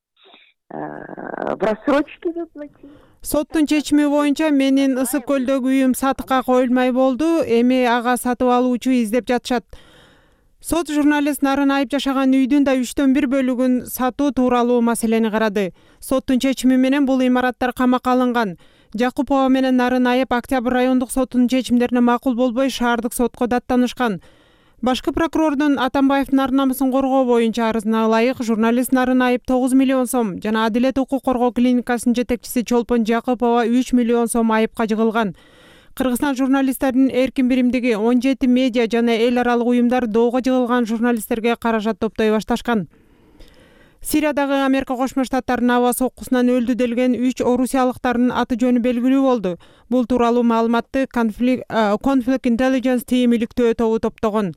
H: в рассрочке заплатить.
C: Соттун чечими боюнча менин Ысык көлдөгү үйүм сатыкка коюлмай болду. Эми ага сатып алуучу издеп жатышат. Сот журналист Нарын Айып жашаган үйдүн да 3/1 бөлүгүн сатуу тууралуу маселени карады. Соттун чечими менен бул имараттар камакка алынган. Жакупова менен Нарын Айып Октябрь райондук сотунун чечимдерине макул болбой шаардык сотко даттанышкан. Башкы прокурордун Атамбаевдин ар намысын коргоо боюнча арызына ылайык журналист Нарын Айып 9 миллион сом жана Адилет укук коргоо клиникасынын жетекчиси Чолпон Жакупова 3 миллион сом айыпка жыгылган. Кыргызстан журналисттеринин эркин биримдиги 17 медиа жана эл аралык уюмдар доого жыгылган журналисттерге каражат топтой башташкан. Сириядагы Америка Кошмо Штаттарынын аба соккусунан өлдү делген 3 орусиялыктардын аты жөнү белгилүү болду. Бул тууралуу маалыматты Conflict Intelligence Team иликтөө тобу топтогон.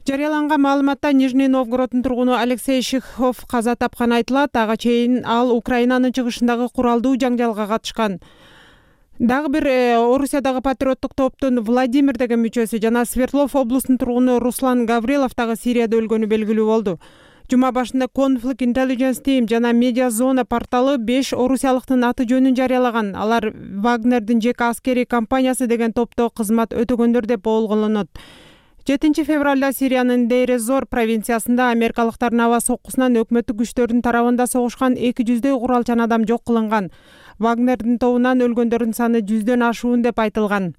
C: Жарыяланган маалыматта Нижний Новгороддун тургуну Алексей Шихов каза тапканы айтылат. Ага чейин ал Украинанын чыгышындагы куралдуу жаңжалга катышкан. Дагы бир Орусиядагы патриоттук топтун Владимир деген мүчөсү жана Свердлов облусунун тургуну Руслан Гаврилов дагы Сирияда өлгөнү белгилүү болду. Жума башында Conflict Intelligence Team жана Media Zone порталы 5 орусиялыктын аты жөнүн жарыялаган. Алар Вагнердин жеке аскерий компаниясы деген топто кызмат өтөгөндөр деп болгонот. 7 февралда Сириянын Дейр-эз-Зор провинциясында америкалыктардын аба соккусунан өкмөттүк күчтөрдүн тарабында согушкан 200 куралчан адам жок кылынган. Вагнердин тобунан өлгөндөрдүн саны 100дөн ашуун деп айтылган.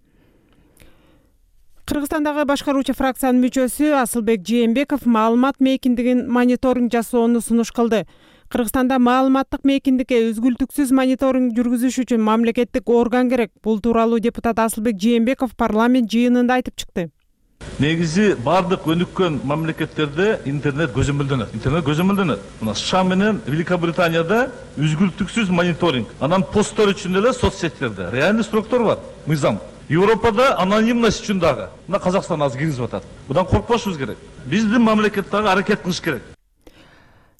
C: Кыргызстандагы башкаруучу фракциянын мүчөсү Асылбек Жээнбеков маалымат мейкиндигин мониторинг жасоону сунуш кылды. Кыргызстанда маалыматтык мейкиндикке үзгүлтүксүз мониторинг жүргүзүш үчүн мамлекеттик орган керек. Бул тууралуу депутат Асылбек Жээнбеков парламент жыйынында айтып чыкты.
Y: Негизи бардык өнүккөн мамлекеттерде интернет көзөмөлдөнөт. Мына США менен Великобританияда үзгүлтүксүз мониторинг. Анан посттор үчүн деле соцсеттерде реальный сроктор бар. Мыйзам. Европада анонимность үчүн дагы. Мына Казакстан азыр киргизип атат. Будан коркпошубуз керек. Биздин мамлекет дагы аракет кылыш керек.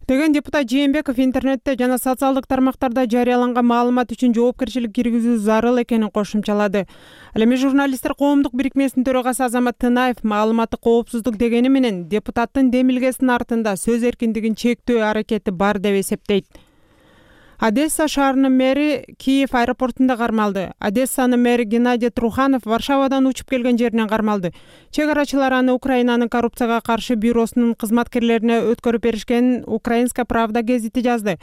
C: деген депутат Жээнбеков интернетте жана социалдык тармактарда жарыяланган маалымат үчүн жоопкерчилик киргизүү зарыл экенин кошумчалады. Ал эми журналисттер коомдук бирикмесинин төрагасы Азамат Тынаев маалыматтык коопсуздук дегени менен депутаттын демилгесинин артында сөз эркиндигин чектөө аракети бар деп эсептейт. Одесса шаарынын мэри Киев аэропортунда кармалды. Одессанын мэри Геннадий Труханов Варшавадан учуп келген жеринен кармалды. Чек арачылар аны Украинанын коррупцияга каршы бюросунун кызматкерлерине өткөрүп беришкенин Украинская правда гезити жазды.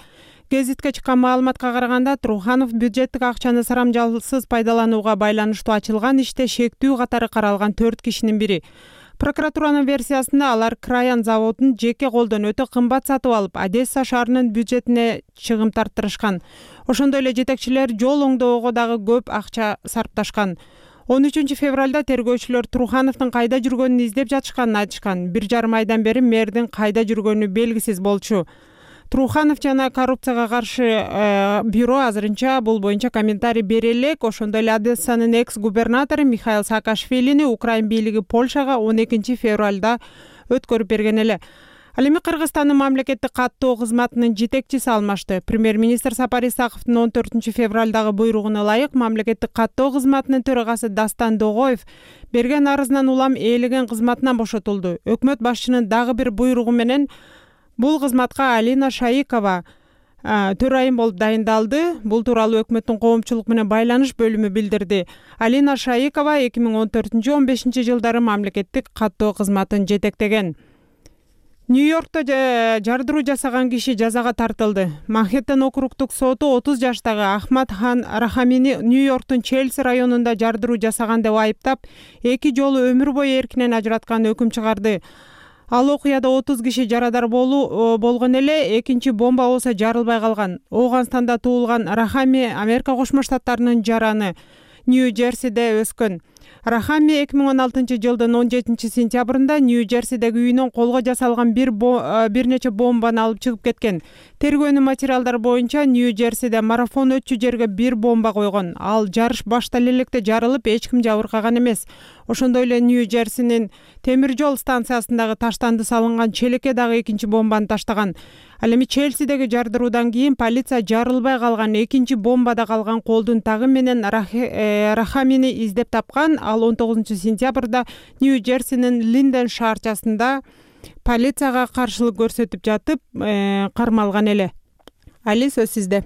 C: Гезитке чыккан маалыматка караганда Труханов бюджеттик акчаны сарамжалсыз пайдаланууга байланыштуу ачылган иште шектүү катары каралган 4 кишинин бири. Прокуратуранын версиясында алар Краян заводун жеке колдон өтө кымбат сатып алып, Одесса шаарынын бюджетине чыгым тарттырышкан. Ошондой эле жетекчилер жол оңдоого дагы көп акча сарпташкан. 13 февралда тергөөчүлөр Трухановдун кайда жүргөнүн издеп жатышканын айтышкан. 1,5 айдан бери мэрдин кайда жүргөнү белгисиз болчу. Труханов жана коррупцияга каршы бюро азырынча бул боюнча комментарий бере элек. Ошондой эле Одессанын экс-губернатору Михаил Саакашвилини Украин бийлиги Польшага 12 февралда өткөрүп берген эле. Ал эми Кыргызстандын мамлекеттик каттоо кызматынын жетекчиси алмашты. Премьер-министр Сапар Исаковдун 14 февралдагы буйругуна ылайык мамлекеттик каттоо кызматынын төрагасы Дастан Догоев берген арызынан улам ээлеген кызматынан бошотулду. Өкмөт башчынын дагы бир буйругу менен бул кызматка Алина Шаикова төрайым болуп дайындалды. Бул тууралуу өкмөттүн коомчулук менен байланыш бөлүмү билдирди. Алина Шаикова 2014-15 жылдары мамлекеттик каттоо кызматын жетектеген. Нью-Йоркто жардыруу жасаган киши жазага тартылды. Манхэттен округдук соту 30 жаштагы Ахмад Хан Рахамини Нью-Йорктун Челси районунда жардыруу жасаган деп айыптап, 2 жолу өмүр бою эркинен ажыраткан өкүм чыгарды. Ал окуяда 30 киши жарадар болгон эле, экинчи бомба болсо жарылбай калган. Оуганстанда туулган Рахами Америка Кошмо Штаттарынын жараны Нью-Джерсиде өскөн. Рахами 2016 жылдын 17 сентябрында Нью-Джерсидеги үйүнөн колго жасалган бир нече бомбаны алып чыгып кеткен. Тергөөнүн материалдары боюнча Нью-Джерсиде марафон өтчү жерге бир бомба койгон. Ал жарыш баштале электе жарылып, эч ким жабыркаган эмес. Ошондой эле Нью-Джерсинин темир жол станциясындагы таштанды салынган челекке дагы экинчи бомбаны таштаган. Ал эми Челсидеги жардыруудан кийин полиция жарылбай калган экинчи бомбада калган колдун тагы менен Рахамини издеп тапкан. Ал 19 сентябрда Нью-Джерсинин Линден шаарчасында полицияга каршылык көрсөтүп жатып кармалган эле. Али, сөз сизде.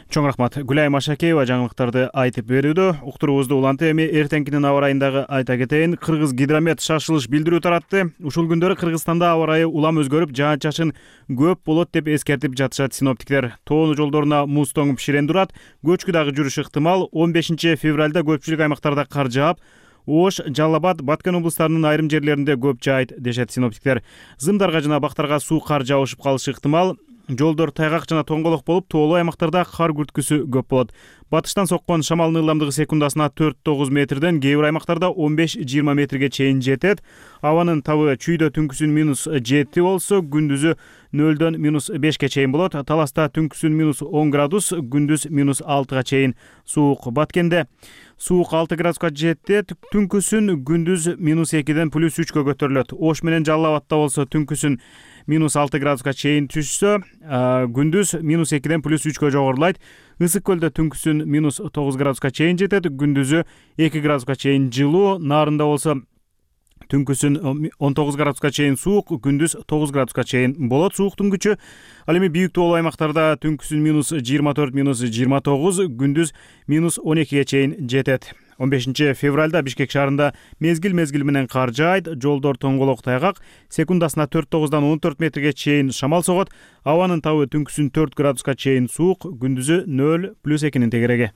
A: Чоң рахмат. Гүлайым Ашакеева жаңылыктарды айтып берүүдө. Уктуруубузду улантты. Эми эртеңкинин аба ырайындагы айта кетейин. Кыргыз гидромет шашылыш билдирүү таратты. Ушул күндөрү Кыргызстанда аба ырайы улам өзгөрүп, жаан-чачын көп болот деп эскертип жатышат синоптиктер. Тоонуу жолдоруна муз тоңуп ширен турат. Көчкү дагы жүрүш ыктымал. 15 февралда көпчүлүк аймактарда кар жаап, Ош, Жалал Абад, Баткен облустарынын айрым жерлеринде көп жаайт дешет синоптиктер. Зымдарга жана бактарга суу кар жаышып калышы ыктымал. Жолдор тайгак жана тоңголок болуп, тоолуу аймактарда кар күрткүсү көп болот. Батыштан соккон шамалдын ылдамдыгы секундасына 4-9 метрден, кээ бир аймактарда 15-20 метрге чейин жетет. Абанын табы чүйдө түнкүсүн -7 болсо, күндүзү 0-дөн -5ке чейин болот. Таласта түнкүсүн -10 градус, күндүз -6га чейин суук. Баткенде суук 6 градуска жетет, түнкүсүн күндүз -2ден +3кө көтөрүлөт. Ош менен Жалал Абадта болсо түнкүсүн -6 градуска чейин түшсө, күндүз -2ден +3кө жогорулайт. Ысык көлдө түнкүсүн -9 градуска чейин жетет, күндүзү 2 градуска чейин жылуу. Нарында болсо түнкүсүн 19 градуска чейин суук, күндүз 9 градуска чейин болот сууктун күчү. Ал эми бийик тоолуу аймактарда түнкүсүн -24, -29, күндүз -12ге чейин жетет. 15 февралда Бишкек шаарында мезгил менен кар жаайт, жолдор тоңголок тайгак, секундасына 4-9дан 14 метрге чейин шамал согот. Абанын табы түнкүсүн 4 градуска чейин суук, күндүзү 0+2 тегереги.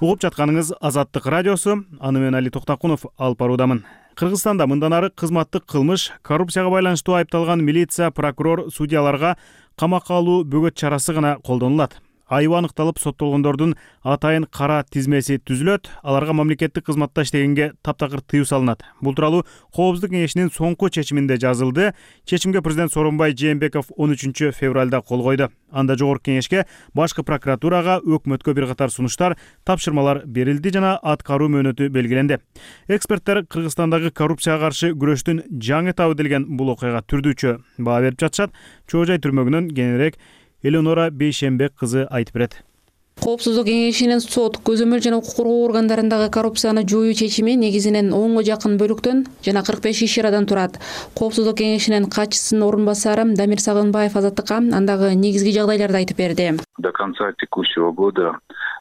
A: Угуп жатканыңыз Азаттык радиосу. Аны мен Али Токтакунов алып баруудамын. Кыргызстанда мындан ары кызматтык кылмыш, коррупцияга байланыштуу айыпталган милиция, прокурор, судьяларга камакка алуу бөгөт чарасы гана колдонулат. айыбы аныкталып соттолгондордун атайын кара тизмеси түзүлөт, аларга мамлекеттик кызматта иштегенге таптакыр тыюу салынат. Бул тууралуу Коопсуздук кеңешинин соңку чечиминде жазылды. Чечимге президент Сооронбай Жээнбеков 13 февралда кол койду. Анда жогорку кеңешке, башкы прокуратурага, өкмөткө бир катар сунуштар, тапшырмалар берилди жана аткаруу мөөнөтү белгиленди. Эксперттер Кыргызстандагы коррупцияга каршы күрөштүн жаңы этабы делген бул окуяга түрдүүчө баа берип жатышат. Чоо Жай түрмөгүнөн кененирээк Элеонора Бейшембек кызы айтып берет.
G: Коопсуздук кеңешинин сот, көзөмөл жана укук коргоо органдарындагы коррупцияны жоюу чечими негизинен 10 жакын бөлүктөн жана 45 иш-чарадан турат. Коопсуздук кеңешинин катчысынын орун басары Дамир Сагынбаев Азаттыкка андагы негизги жагдайларды айтып берди.
I: До конца текущего года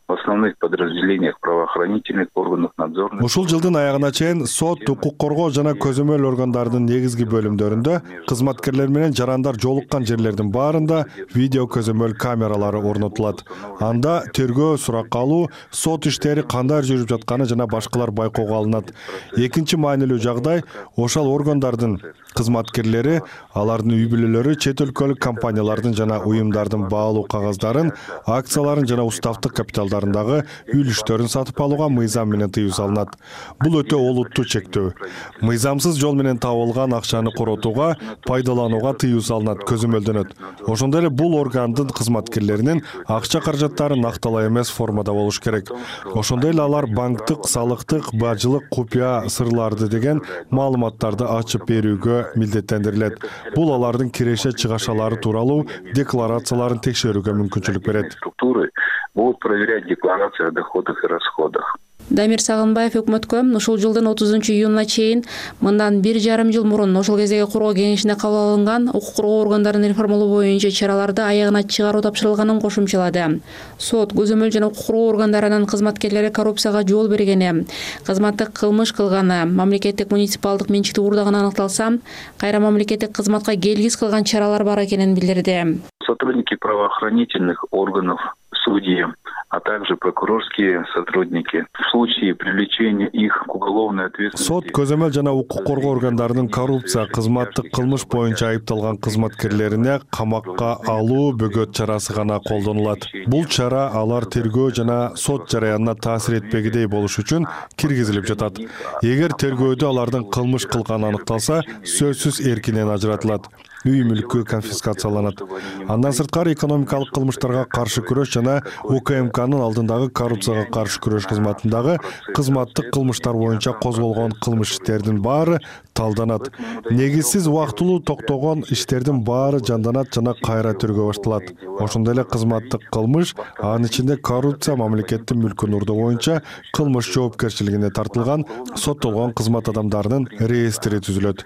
I: в основных подразделениях правоохранительных органов надзорных.
E: Ушул жылдын аягына чейин сот, укук коргоо жана көзөмөл органдардын негизги бөлүмдөрүндө кызматкерлер менен жарандар жолуккан жерлердин баарында видео көзөмөл камералары орнотулат. Анда тергөө, суракка алуу, сот иштери кандай жүрүп жатканы жана башкалар байкоого алынат. Экинчи маанилүү жагдай ошол органдардын кызматкерлери, алардын үй бүлөлөрү чет өлкөлүк компаниялардын жана уюмдардын баалуу кагаздарын, акцияларын жана уставдык капиталдарындагы үлүштөрүн сатып алууга мыйзам менен тыюу салынат. Бул өтө олуттуу чектөө. Мыйзамсыз жол менен табылган акчаны коротууга, пайдаланууга тыюу салынат, көзөмөлдөнөт. Ошондой эле бул органдын кызматкерлеринин акча каражаттары накталаа эмес формада болуш керек. Ошондой эле алар банктык, салыктык, бажылык, купуя сырларды деген маалыматтарды ачып берүүгө милдеттендирилет. Бул алардын киреше чыгашалары тууралуу декларацияларын текшерүүгө мүмкүнчүлүк берет.
I: Структуры будут проверять декларации о доходах и расходах.
G: Дамир Сагынбаев өкмөткө ушул жылдын 30 июнуна чейин мындан 1,5 жыл мурун ошол кездеги коргоо кеңешине кабыл алынган укук коргоо органдарын реформалоо боюнча чараларды аягына чыгаруу тапшырылганын кошумчалады. Сот, көзөмөл жана укук коргоо органдарынын кызматкерлери коррупцияга жол бергени, кызматтык кылмыш кылганы, мамлекеттик муниципалдык менчикти уурдаганы аныкталса, кайра мамлекеттик кызматка келгис кылган чаралар бар экенин билдирди.
I: Сотрудники правоохранительных органов, судьи, а также прокурорские сотрудники в случае привлечения их к уголовной ответственности.
E: Сот, көзөмөл жана укук коргоо органдарынын коррупция, кызматтык кылмыш боюнча айыпталган кызматкерлерине камакка алуу бөгөт чарасы гана колдонулат. Бул чара алар тергөө жана сот жараянына таасир этпегидей болуш үчүн киргизилип жатат. Эгер тергөөдө алардын кылмыш кылганы аныкталса, сөзсүз эркинен ажыратылат. Үй мүлкү конфискацияланат. Андан сырткары экономикалык кылмыштарга каршы күрөш жана УКМКнын алдындагы коррупцияга каршы күрөш кызматындагы кызматтык кылмыштар боюнча козголгон кылмыш иштердин баары талданат. Негизсиз убактылуу токтогон иштердин баары жанданат жана кайра тергөө башталат. Ошондой эле кызматтык кылмыш, анын ичинде коррупция, мамлекеттин мүлкүн уурдоо боюнча кылмыш жоопкерчилигине тартылган соттолгон кызмат адамдарынын реестри түзүлөт.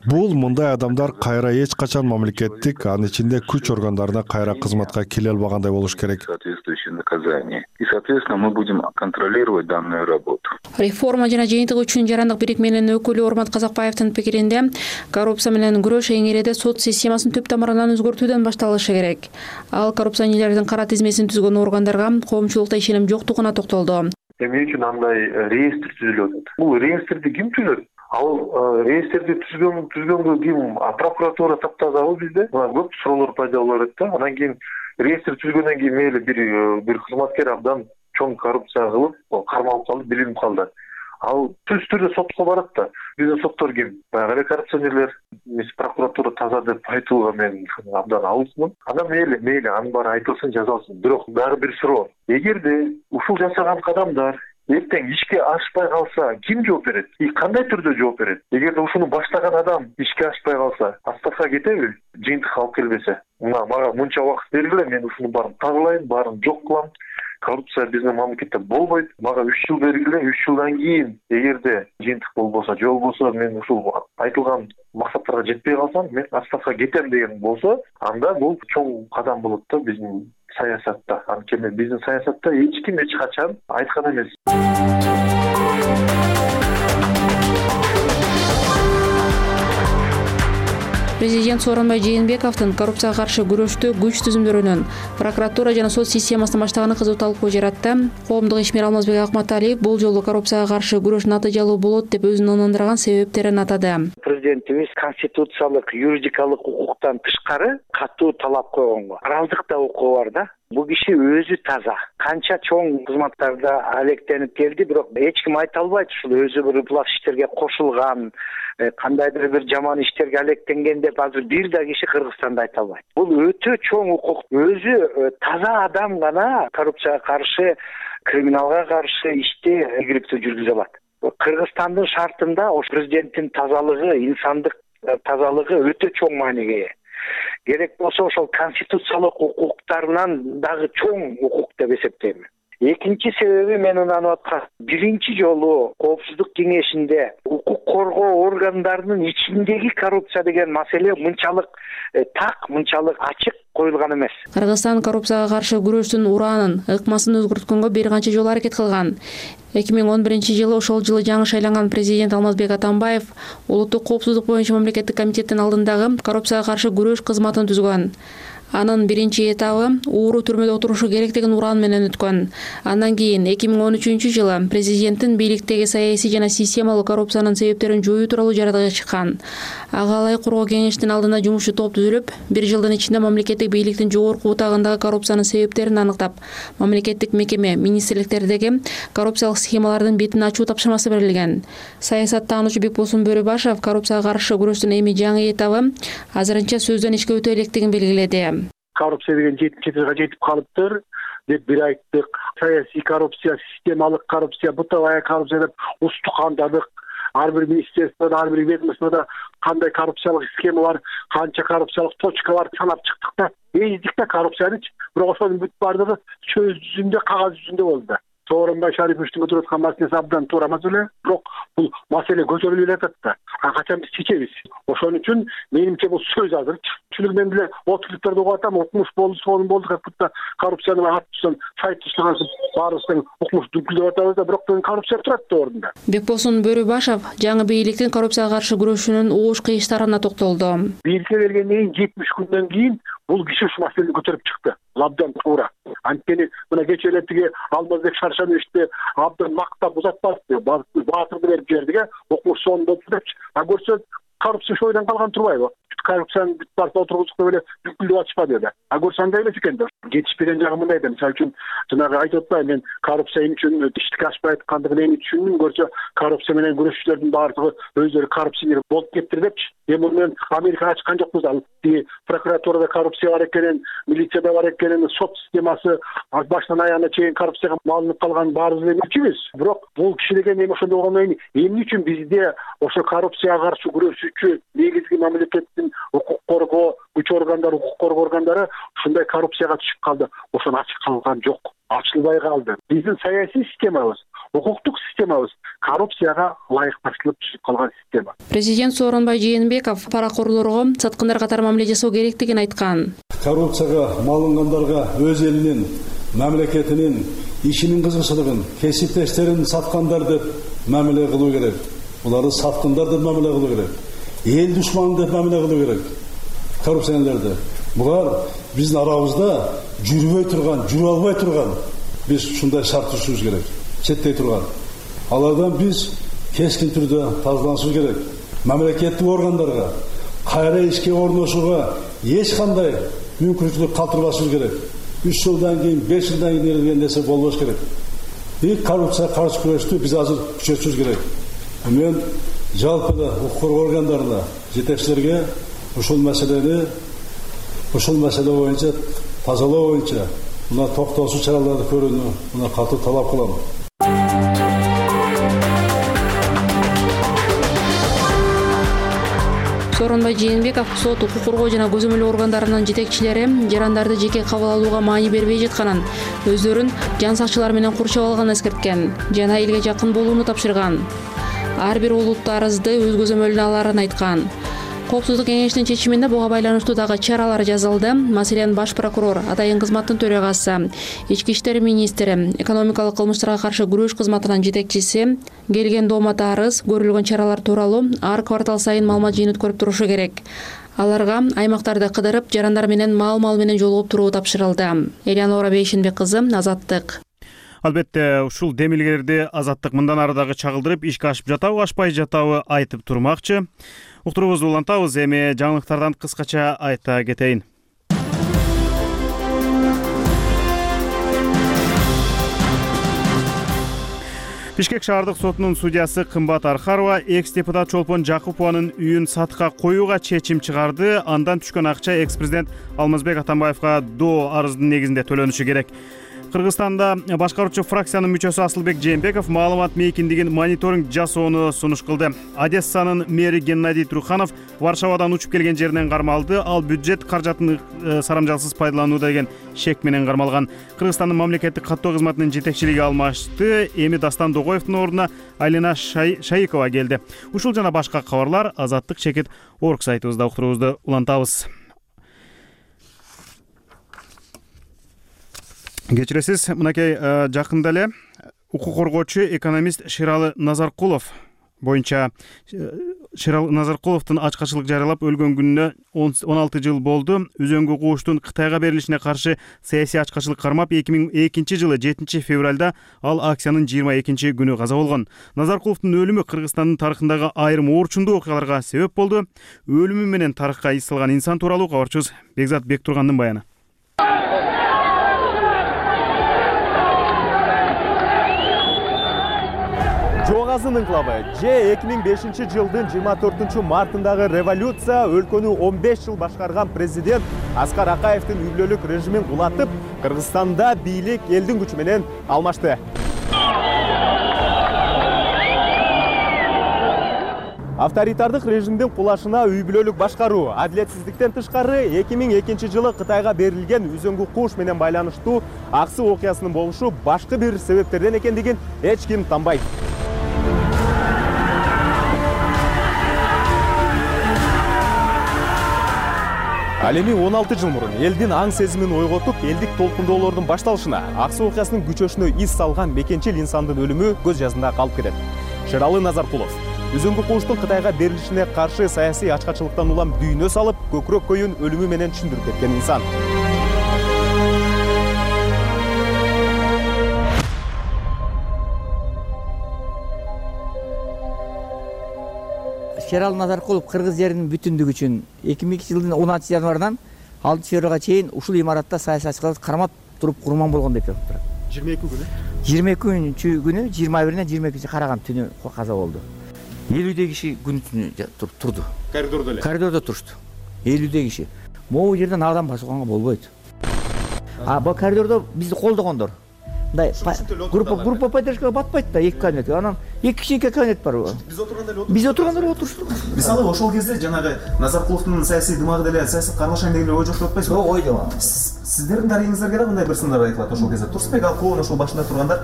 E: Бул мындай адамдар кайра эч качан мамлекеттик, анын ичинде күч органдарына кайра кызматка келе албагандай болуш керек.
I: Соответствующее наказание. И, соответственно, мы будем контролировать данную работу.
G: Реформа жана жыйынтык үчүн жарандык бирикменин өкүлү Ормат Казакбаевдин пикиринде, коррупция менен күрөш эң иреде сот системасын түп тамырынан өзгөртүүдөн башталышы керек. Ал коррупционерлердин кара тизмесин түзгөн органдарга коомчулукта ишеним жоктугуна токтолду.
J: Эмне үчүн андай реестр түзүлүп атат? Бул реестрди ким түзөт? Ал реестрди түзгөнгө ким? Прокуратура таптазабы бизде? Мына көп суроолор пайда болот да. Анан кийин реестр түзгөндөн кийин мейли бир кызматкер абдан чоң коррупция кылып, кармалып калды, билинип калды. Ал түз түрдө сотко барат да. Биздин соттор ким? Баягы эле коррупционерлер, прокуратура таза деп айтууга мен абдан алысмын. Анан мейли анын баары айтылсын, жазалсын. Бирок дагы бир суроо. Эгерде ушул жасаган кадамдар эртең ишке ашпай калса, ким жооп берет? Кандай түрдө жооп берет? Эгерде ушуну баштаган адам ишке ашпай калса, отставкага кетеби? Жыйынтык алып келбесе. Мага мынча убакыт бергиле, мен ушуну баарын тазалайм, баарын жок кылам. Коррупция биздин мамлекетте болбойт. Мага 3 жыл бергиле, 3 жылдан кийин эгерде жыйынтык болбосо, жол болсо, мен ушул айтылган максаттарга жетпей калсам, мен отставкага кетем деген болсо, анда бул чоң кадам болот да биздин саясатта. Анткени биздин саясатта эч ким эч качан айткан эмес.
G: Президент Сооронбай Жээнбековдун коррупцияга каршы күрөштө күч түзүмдөрүнөн прокуратура жана сот системасын баштаганы кызуу талкуу жаратты. Коомдук ишмер Алмазбек Акматалиев бул жолу коррупцияга каршы күрөш натыйжалуу болот деп өзүн ынандырган себептерин атады.
L: президентибиз конституциялык юридикалык укуктан тышкары катуу талап койгонго моралдык да укугу бар да. Бул киши өзү таза, канча чоң кызматтарда алектенип келди, бирок эч ким айта албайт ушул өзү бир ыплак иштерге кошулган, кандайдыр бир жаман иштерге алектенген деп азыр бир да киши Кыргызстанда айта албайт. Бул өтө чоң укук. Өзү таза адам гана коррупцияга каршы, криминалга каршы ишти ийгиликтүү жүргүзө алат. Кыргызстандын шартында ошо президенттин тазалыгы, инсандык тазалыгы өтө чоң мааниге ээ. Керек болсо ошол конституциялык укуктарынан дагы чоң укук деп эсептейм. Экинчи себеби мен ынанып аткан, биринчи жолу Коопсуздук кеңешинде укук коргоо органдарынын ичиндеги коррупция деген маселе мынчалык так, мынчалык ачык коюлган эмес.
G: Кыргызстан коррупцияга каршы күрөштүн ураанын, ыкмасын өзгөрткөнгө бир канча жолу аракет кылган. 2011-жылы ошол жылы жаңы шайланган президент Алмазбек Атамбаев улуттук коопсуздук боюнча мамлекеттик комитеттин алдындагы коррупцияга каршы күрөш кызматын түзгөн. Анын биринчи этабы ууру түрмөдө отурушу керек деген ураан менен өткөн. Андан кийин 2013-жылы президенттин бийликтеги саясий жана системалык коррупциянын себептерин жоюу тууралуу жарыяга чыккан. Ага ылайык коргоо кеңештин алдында жумушчу топ түзүлүп, бир жылдын ичинде мамлекеттик бийликтин жогорку утагындагы коррупциянын себептерин аныктап, мамлекеттик мекеме, министрликтердеги коррупциялык схемалардын бетин ачуу тапшырмасы берилген. Саясаттануучу Бекболсун Бөрүбашев коррупцияга каршы күрөштүн эми жаңы этабы азырынча сөздөн ишке өтө электигин белгиледи.
M: Коррупция деген 70 жылга жетип калыптыр деп бир айттык. Саясий коррупция, системалык коррупция, бытовая коррупция деп устукандадык. Ар бир министерствода, ар бир ведомствода кандай коррупциялык схема бар, канча коррупциялык точка бар санап чыктык да. Эздик да коррупциянычы. Бирок ошонун бүт баардыгы сөз жүзүндө, кагаз жүзүндө болду да. Сооронбай Шариповичтин көтөрүп аткан маселеси абдан туура маселе, бирок бул маселе көтөрүлүп жатат да. Качан биз чечебиз? Ошон үчүн менимче бул сөз азыр. Чүлүк мен деле отуруктарда угуп атам, укмуш болду, сонун болду, как будто коррупцияны аттысын, сайт түшүргөнсүн, баарыбыздын укмуш дүңкүлдөп атабыз да, бирок коррупция турат да ордунда.
G: Бекболсун Бөрүбашев жаңы бийликтин коррупцияга каршы күрөшүүнүн оош кыйыштарына токтолду.
M: Бийликке келгенден кийин 70 күндөн кийин бул киши ушул маселени көтөрүп чыкты. Абдан туура. Анткени мына кечээ эле тиги Алмазбек Шаршановичти абдан мактап узатпады. Баатырды берип жибердик, укмуш сонун болуп депчи. А көрсө коррупция шойдан калган турбайбы? Коррупцияны бүт барса отургуздук деп эле бүкүлдөп атышпады эле. А көрсө андай эмес экен да. Жетишпеген жагы мындай да. Мисалы үчүн жанагы айтып атпайбы, мен коррупция эмне үчүн иштикке ашпай аткандыгын эми түшүндүм. Көрсө коррупция менен күрөшчүлөрдүн баардыгы өздөрү коррупционер болуп кетти депчи. Эми мен Америкага ачкан жокпуз ал. Прокуратурада коррупция бар экенин, милицияда бар экенин, сот системасы баштан аягына чейин коррупцияга малынып калган баарыбыз эле билчүбүз. Бирок бул киши деген эми ошондой болгондон кийин эмне үчүн бизде ошо коррупцияга каршы күрөшүүчү негизги мамлекеттин укук коргоо күч органдары, укук коргоо органдары ушундай коррупцияга түшүп калды. Ошону ачык калган жок, ачылбай калды. Биздин саясий системабыз, укуктук системабыз коррупцияга ылайыкташылып түшүп калган система.
G: Президент Сооронбай Жээнбеков паракорлорго саткындар катары мамиле жасоо керектигин айткан.
P: Коррупцияга малынгандарга өз элинин, мамлекетинин, ишинин кызыкчылыгын, кесиптештерин саткандар деп мамиле кылуу керек. Буларды саткындар деп мамиле кылуу керек. Эл душманы деп мамиле кылуу керек. Коррупционерлерди. Булар биздин арабызда жүрбөй турган, жүрүп албай турган. Биз ушундай шарт түзүшүбүз керек. Четтей турган. Алардан биз кескин түрдө тазаланышыбыз керек. Мамлекеттик органдарга кайра ишке орношууга эч кандай мүмкүнчүлүк калтырбашыбыз керек. 3 жылдан кийин, 5 жылдан кийин деген нерсе болбош керек. Коррупцияга каршы күрөштү биз азыр күчөтүшүбүз керек. Мен жалпы да укук коргоо органдарына, жетекчилерге ушул маселе боюнча, тазалоо боюнча мына токтоосуз чараларды көрүүнү мына катуу талап кылам.
G: Сооронбай Жээнбеков сот, укук коргоо жана көзөмөл органдарынын жетекчилери жарандарды жеке кабыл алууга маани бербей жатканын, өздөрүн жан сакчылар менен курчап алганын эскерткен жана элге жакын болууну тапшырган. Ар бир улут арызды өз көзөмөлүнө аларын айткан. Коопсуздук кеңешинин чечиминде буга байланыштуу дагы чаралар жазылды. Маселен, баш прокурор, атайын кызматтын төрагасы, ички иштер министри, экономикалык кылмыштарга каршы күрөш кызматынын жетекчиси келген доомата арыз, көрүлгөн чаралар тууралуу ар квартал сайын маалымат жыйынтып көрүп турушу керек. Аларга аймактарды кыдырып, жарандар менен маал менен жолугуп туруу тапшырылды. Элеонора Бейшенбек кызы, Азаттык.
A: Албетте, ушул демилгелерди Азаттык мындан ары дагы чагылдырып, ишке ашып жатабы, ашпай жатабы айтып турмакчы. Уктуруубузду улантабыз. Эми жаңылыктардан кыскача айта кетейин. Бишкек шаардык сотунун судьясы Кымбат Архарова экс-депутат Чолпон Жакупованын үйүн сатыкка коюуга чечим чыгарды. Андан түшкөн акча экс-президент Алмазбек Атамбаевга доо арыздын негизинде төлөнүшү керек. Кыргызстанда башкаруучу фракциянын мүчөсү Асылбек Жээнбеков маалымат мейкиндигин мониторинг жасоону сунуш кылды. Одессанын мэри Геннадий Труханов Варшавадан учуп келген жеринен кармалды. Ал бюджет каражатын сарамжалсыз пайдаланууда деген шек менен кармалган. Кыргызстандын мамлекеттик каттоо кызматынын жетекчилиги алмашты. Эми Дастан Догоевдун ордуна Алина Шайыкова келди. Ушул жана башка кабарлар Азаттык чекит орг сайтыбызда уктуруубузду улантабыз. Кечиресиз, мынакей жакында эле укук коргоочу экономист Шералы Назаркулов боюнча Шералы Назаркуловдун ачкачылык жарыялап өлгөн күнүнө 16 жыл болду. Үзөңгү кууштун Кытайга берилишине каршы саясий ачкачылык кармап 2002 жылы 7 февралда ал акциянын 22 күнү каза болгон. Назаркуловдун өлүмү Кыргызстандын тарыхындагы айрым оорчундуу окуяларга себеп болду. Өлүмү менен тарыхка из салган инсан тууралуу кабарчыбыз Бекзат Бектургандын баяны. Жоғазын инкылабы же 2005 жылдын 24 мартындагы революция өлкөнү 15 жыл башкарган президент Аскар Акаевдин үйлөлүк режимин кулатып, Кыргызстанда бийлик элдин күчү менен алмашты. Авторитардык режимдин кулашына үй бүлөлүк башкаруу, адилетсиздиктен тышкары 2002 жылы Кытайга берилген үзөңгү кууш менен байланыштуу аксы окуясынын болушу башкы бир себептерден экендигин эч ким танбайт. Ал эми 16 жыл мурун элдин аң сезимин ойготуп, элдик толкундоолордун башталышына, аксы окуясынын күчөшүнө из салган мекенчил инсандын өлүмү көз жазында калып кетет. Шералы Назаркулов үзөңгү кууштун Кытайга берилишине каршы саясий ачкачылыктан улам дүйнө салып, көкүрөк көйүн өлүмү менен түшүндүрүп кеткен инсан.
F: Шералы Назаркулов кыргыз жеринин бүтүндүгү үчүн 2002 жылдын 16 январынан 6 февралга чейин ушул имаратта саясатчыларды кармап туруп курман болгон деп жатат.
A: 22 күнү?
F: 22 күнү 21-ден 22 караган түнү каза болду. 50 киши күн түнү турду.
A: Коридордо эле?
F: Коридордо турушту. 50 киши. Могу жерден адам басууга болбойт. Бул коридордо бизди колдогондор. Мындай группа поддержкага батпайт да, 2 кабинет. Анан 2 кичинекей кабинет бар. Биз отургандар отуруштук.
A: Мисалы ошол кезде жанагы Назаркуловдун саясий дымагы деле саясат кармашайын деген ой жок деп атпайсызбы?
F: Жок, ой жок.
A: Сиздердин тарыхыңыздарга да мындай бир сындар айтылат ошол кезде. Турсунбек Алкулов ошол башында тургандар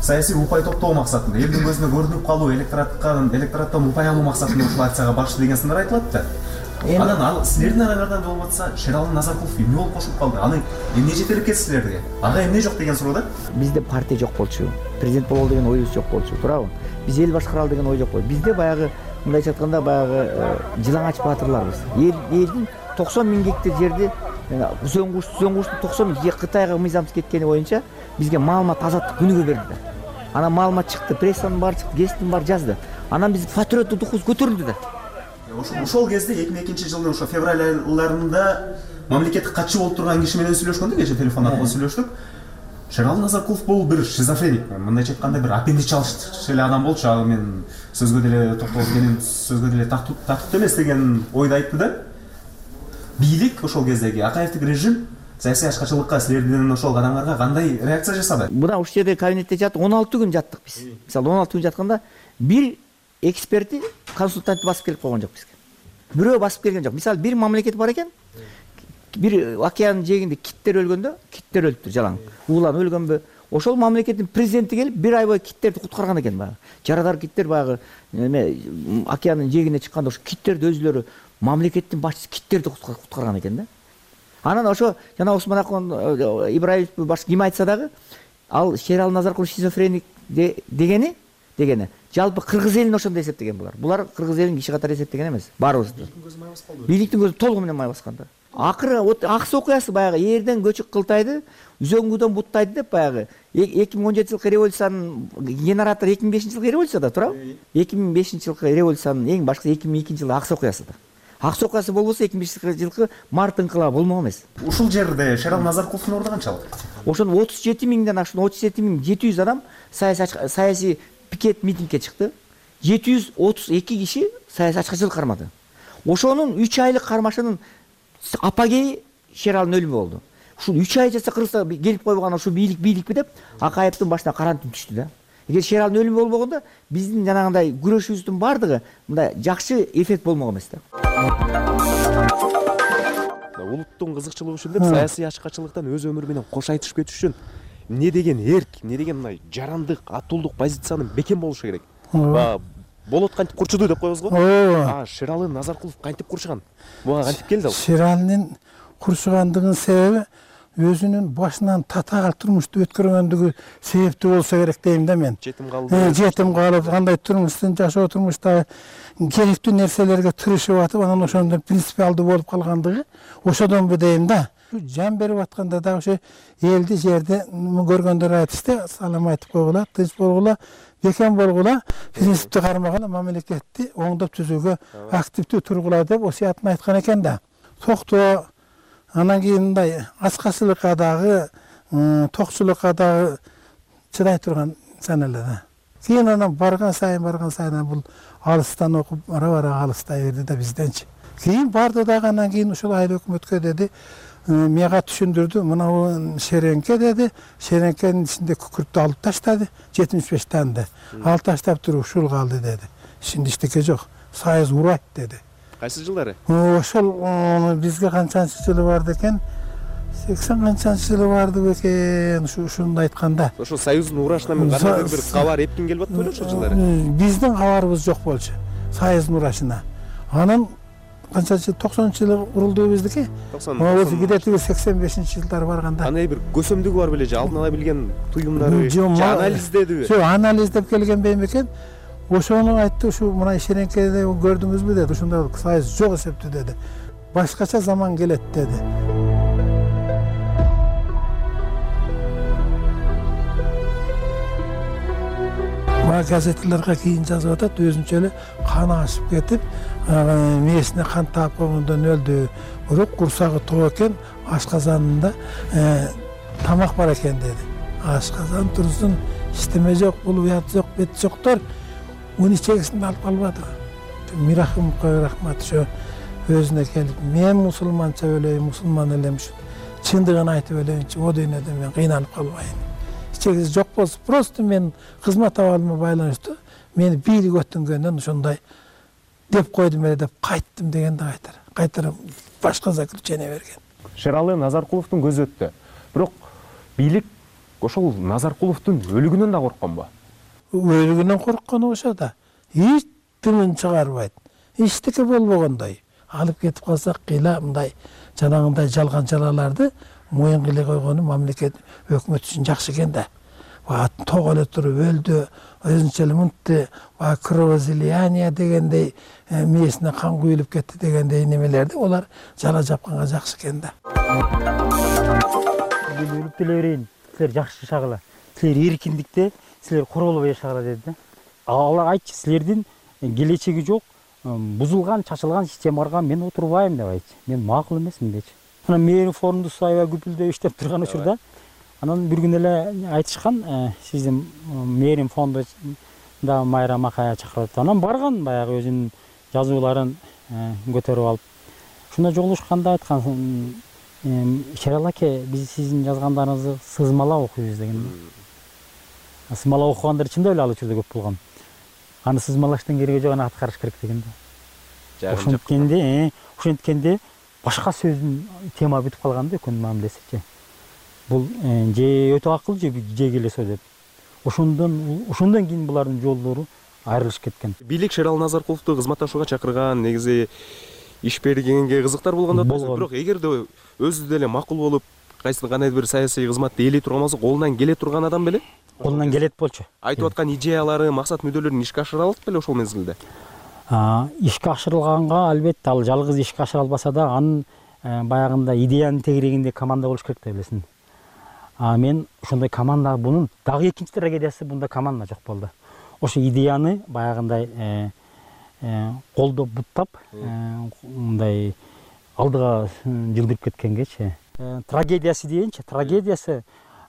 A: саясий упай топтоо максатында, элдин көзүнө көрүнүп калуу, электораттан упай алуу максатында ушул акцияга барышты деген сындар айтылат да. Анан ал силердин араңардан болуп атса, Шералы Назаркулов эмне болуп кошуп калды? Аны эмне жетелеп кетти силерге? Ага эмне жок деген суроо да?
F: Бизде партия жок болчу. Президент бололу деген оюбуз жок болчу, туурабы? Биз эл башкаралы деген ой жок болчу. Бизде баягы мындайча айтканда баягы жылаңач баатырларбыз. Элдин 90 000 гектар жерди үзөңгүштү 90 000 Кытайга мыйзамсыз кеткени боюнча бизге маалымат азаттык күнүгө берди. Анан маалымат чыкты, прессанын баары чыкты, гезиттин баары жазды. Анан биз патриоттук духубуз көтөрүлдү да.
A: Ошол кезде 2002 жылдын ошо февраль айларында мамлекеттик катчы болуп турган киши менен сүйлөшкөндө, кечээ телефон аркылуу сүйлөштүк. Шералы Назаркулов бул бир шизофреник, мындайча айтканда бир аппендич алыш эле адам болчу. Ал мен сөзгө деле токтолуп менин сөзгө деле тактуу эмес деген ойду айтты да. Бийлик ошол кездеги Акаевдик режим саясий ачкачылыкка силердин ошол кадамдарга кандай реакция жасады?
F: Мына ушул жерде кабинетте жаттык, 16 күн жаттык биз. Мисалы 16 күн жатканда бир эксперти, консультант басып келип койгон жок бизге. Бирөө басып келген жок. Мисалы бир мамлекет бар экен, бир океандын жээгинде киттер өлгөндө, киттер өлүптүр жалаң. Уулан өлгөнбү? Ошол мамлекеттин президенти келип бир ай бою киттерди куткарган экен баягы. Жарадар киттер баягы океандын жээгине чыкканда ошо киттерди өзүлөрү мамлекеттин башчысы киттерди куткарган экен да. Анан ошо жана Усманакон Ибраев башка ким айтса дагы, ал Шералы Назаркулов шизофреник дегени жалпы кыргыз элин ошондой эсептеген булар. Булар кыргыз элин киши катары эсептеген эмес. Баарыбызды. Бийликтин көзү толугу менен май баскан да. акыры вот аксы окуясы баягы эрден көчүк кылтайды, үзөңгүдөн буттайды деп баягы 2017 жылкы революциянын генератор 2005 жылкы революцияда туурабы? 2005 жылкы революциянын эң башкысы 2002 жылы аксы окуясыда. Аксы окуясы болбосо 2005 жылкы март инкылабы болмок эмес.
D: Ушул жерде Шерал Назаркуловдун орду канчалык?
F: Ошон 37 миңден ашкан 37.700 адам саясий пикет митингге чыкты. 732 киши саясий ачкычылык кармады. Ошонун 3 айлык кармашынын апогеи Шералдын өлүмү болду. Ушул 3 ай жаса Кыргызстанга келип койбогон ушул бийликпи деп Акаевдин башына каран түн түштү да. Эгер Шералдын өлүмү болбогондо биздин жанагындай күрөшүбүздүн бардыгы мындай жакшы эффект болмок эмес да.
D: Улуттун кызыкчылыгы үчүн деп саясий ачкачылыктан өз өмүрү менен кош айтышып кетиш үчүн эмне деген эрк, эмне деген мындай жарандык, атуулдук позициянын бекем болушу керек. Болот кантип курчуду деп коебуз го. Шералы Назаркулов кантип курчуган? Буга кантип келди ал?
O: Шералдын курчугандыгынын себеби өзүнүн башынан татаал турмушту өткөргөндүгү себептүү болсо керек дейм да мен.
D: Жетим калды.
O: Жетим калып, кандай турмуштун жашоо турмушта керектүү нерселерге тырышып атып, анан ошондон принципиалдуу болуп калгандыгы ошодонбу дейм да. Жан берип атканда дагы ошо элди жерде көргөндөр айтышты, салам айтып койгула, тынч болгула, бекем болгула, принципти кармаган мамлекетти оңдоп түзүүгө активдүү тургула деп осуятын айткан экен да. Токтоо анан кийин мындай ачкачылыкка дагы, токчулукка дагы чыдай турган инсан эле да. Кийин анан барган сайын бул алыстан окуп, бара алыстай берди да бизденчи. Кийин барды дагы анан кийин ушул айыл өкмөткө деди, мага түшүндүрдү, мына шереңке деди, шереңкенин ичинде күкүрттү алып таштады, 75 данды. Алып таштап туруп ушул калды деди. Ичинде эчтеке жок, союз урайт деди.
D: Кайсы жылдары?
O: Ошол бизге канчанчы жылы барды экен? 80 канчанчы жылы барды бекен, ушунду айтканда.
D: Ошол союздун урашынан мен кандай бир кабар эпкин келип атты беле ошол жылдары?
O: Биздин кабарыбыз жок болчу. Союздун урашына. Анан канчанчы 90-жылы курулду биздики? 90. Где-то 85-жылдары барганда.
D: Кандай бир көсөмдүгү бар беле же алдын ала билген туюмдары, же анализдедиби?
O: Жок, анализдеп келген бейм экен. Ошону айтты, ушу мына шереңкеде көрдүңүзбү деди. Ошондо союз жок эсептүү деди. Башкача заман келет деди. Газеттелерге кийин жазып атат, өзүнчө эле каны ашып кетип, мээсине кан таап койгондон өлдү. Бирок курсагы тоо экен, ашказанында тамак бар экен деди. Ашказан турсун, иштеме жок, бул уят жок, бет жоктор уну чегисинде алып калбады. Мирахымовго рахмат, ошо өзүнө келип, мен мусулманча өлөйүн, мусулман элем үчүн чындыгын айтып өлөйүнчү, о дүйнөдө мен кыйналып калбайын. Чегиси жок болсо, просто мен кызмат абалыма байланыштуу, мени бийлик өттүнгөндөн ошондой деп койдум эле деп кайттым дегенде кайтара башка заключение берген.
D: Шералы Назаркуловдун көзү өттү. Бирок бийлик ошол Назаркуловдун өлүгүнөн да коркконбу?
O: Өлүгүнөн корккону ошо да. Эч тымын чыгарбайт. Эчтеке болбогондой. Алып кетип калсак кыйла мындай жанагындай жалган жалаларды моюн кылы койгону мамлекет өкмөт үчүн жакшы экен да. Тоо эле туруп өлдү, өзүнчө эле мынтты, кровоизлияние дегендей, мээсине кан куюлуп кетти дегендей немелерди олар жала жапканга жакшы экен да.
Q: Өлүп деле берейин, силер жакшы жашагыла. Силер эркиндикте, силер королбой жашагыла деди да. Алар айтчы, силердин келечеги жок, бузулган, чачылган системага мен отурбайм деп айтчы. Мен макул эмесмин дечи. Анан мээрин фондус аябай күпүлдөп иштеп турган учурда анан бир күн эле айтышкан, сиздин мээрин фондунда Майра Макая чакырып, анан барган баягы өзүнүн жазууларын көтөрүп алып. Ушунда жолугушканда айткан, Шерал аке, биз сиздин жазгандарыңызды сызмалап окуйбуз деген. Сызмалап окугандар чындап эле ал учурда көп болгон. Аны сызмалаштын кереги жок, аны аткарыш керек деген да. Ошенткенде башка сөздүн тема бүтүп калган да өкмөт мамилесичи. Бул же өтө акыл же келесо деп. Ошондон кийин булардын жолдору айрылышып кеткен.
D: Бийлик Шерал Назаркуловду кызматташууга чакырган, негизи иш бергенге кызыктар болгондо бирок эгерде өзү деле макул болуп, кандайдыр бир саясий кызматты ээлей турган болсо, колунан келе турган адам беле?
Q: Колунан келет болчу.
D: Айтып аткан идеялары, максат мүдөлөрүн ишке ашыра алат беле ошол мезгилде?
Q: Ишке ашырылганга албетте ал жалгыз ишке ашыра албаса да, анын баягында идеянын тегерегинде команда болуш керек деп элесиң. Мен ошондой команда, бунун дагы экинчи трагедиясы, бунда команда жок болду. Ошо идеяны баягындай колдоп буттап, мындай алдыга жылдырып кеткенгечи. Трагедиясы дейинчи, трагедиясы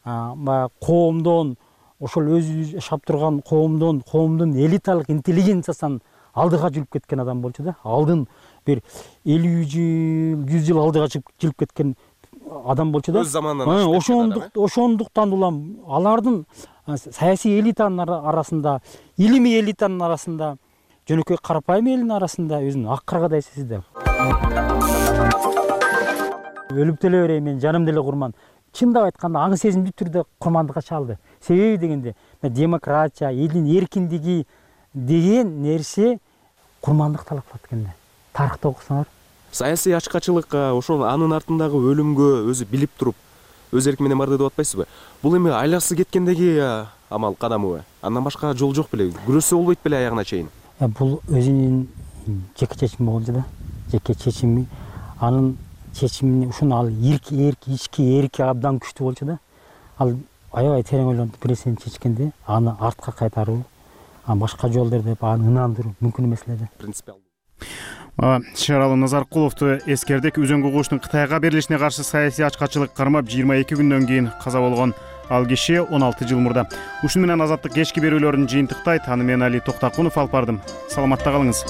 Q: баягы коомдон, ошол өзү жашап турган коомдун элиталык интеллигенциясынан алдыга жүрүп кеткен адам болчу да. Алдын бир 50 жыл, 100 жыл алдыга жүрүп кеткен адам болчу да.
D: Өз заманынан
Q: ошондуктан улам алардын саясий элитанын арасында, илимий элитанын арасында, жөнөкөй карапайым элдин арасында өзүн ак каргадай сезди. Өлүп деле берейин, мен жаным деле курман. Чындап айтканда аң сезимдүү түрдө курмандыкка чалды. Себеби дегенде демократия, элдин эркиндиги деген нерсе курмандык талап кылат экен да. Тарыхты окусаңар.
D: Саясий ачкачылык ошол анын артындагы өлүмгө өзү билип туруп өз эрки менен барды деп атпайсызбы? Бул эми айласы кеткендеги амал кадамыбы? Андан башка жол жок беле? Күрөшсө болбойт беле аягына чейин?
Q: Бул өзүнүн жеке чечими болчу да. Жеке чечими, анын чечимине ушуну ал ички эрки абдан күчтүү болчу да. Ал аябай терең ойлонуп бир нерсени чечкенде аны артка кайтаруу, башка жол деп аны ынандыруу мүмкүн эмес эле да.
D: Принципиалдуу.
A: Шаралы Назаркуловду эскердик. Үзөңгү куштун Кытайга берилишине каршы саясий ачкачылык кармап 22 күндөн кийин каза болгон ал киши 16 жыл мурда. Ушуну менен Азаттык кечки берүүлөрүн жыйынтыктайт. Аны мен Али Токтакунов алып бардым. Саламатта калыңыз.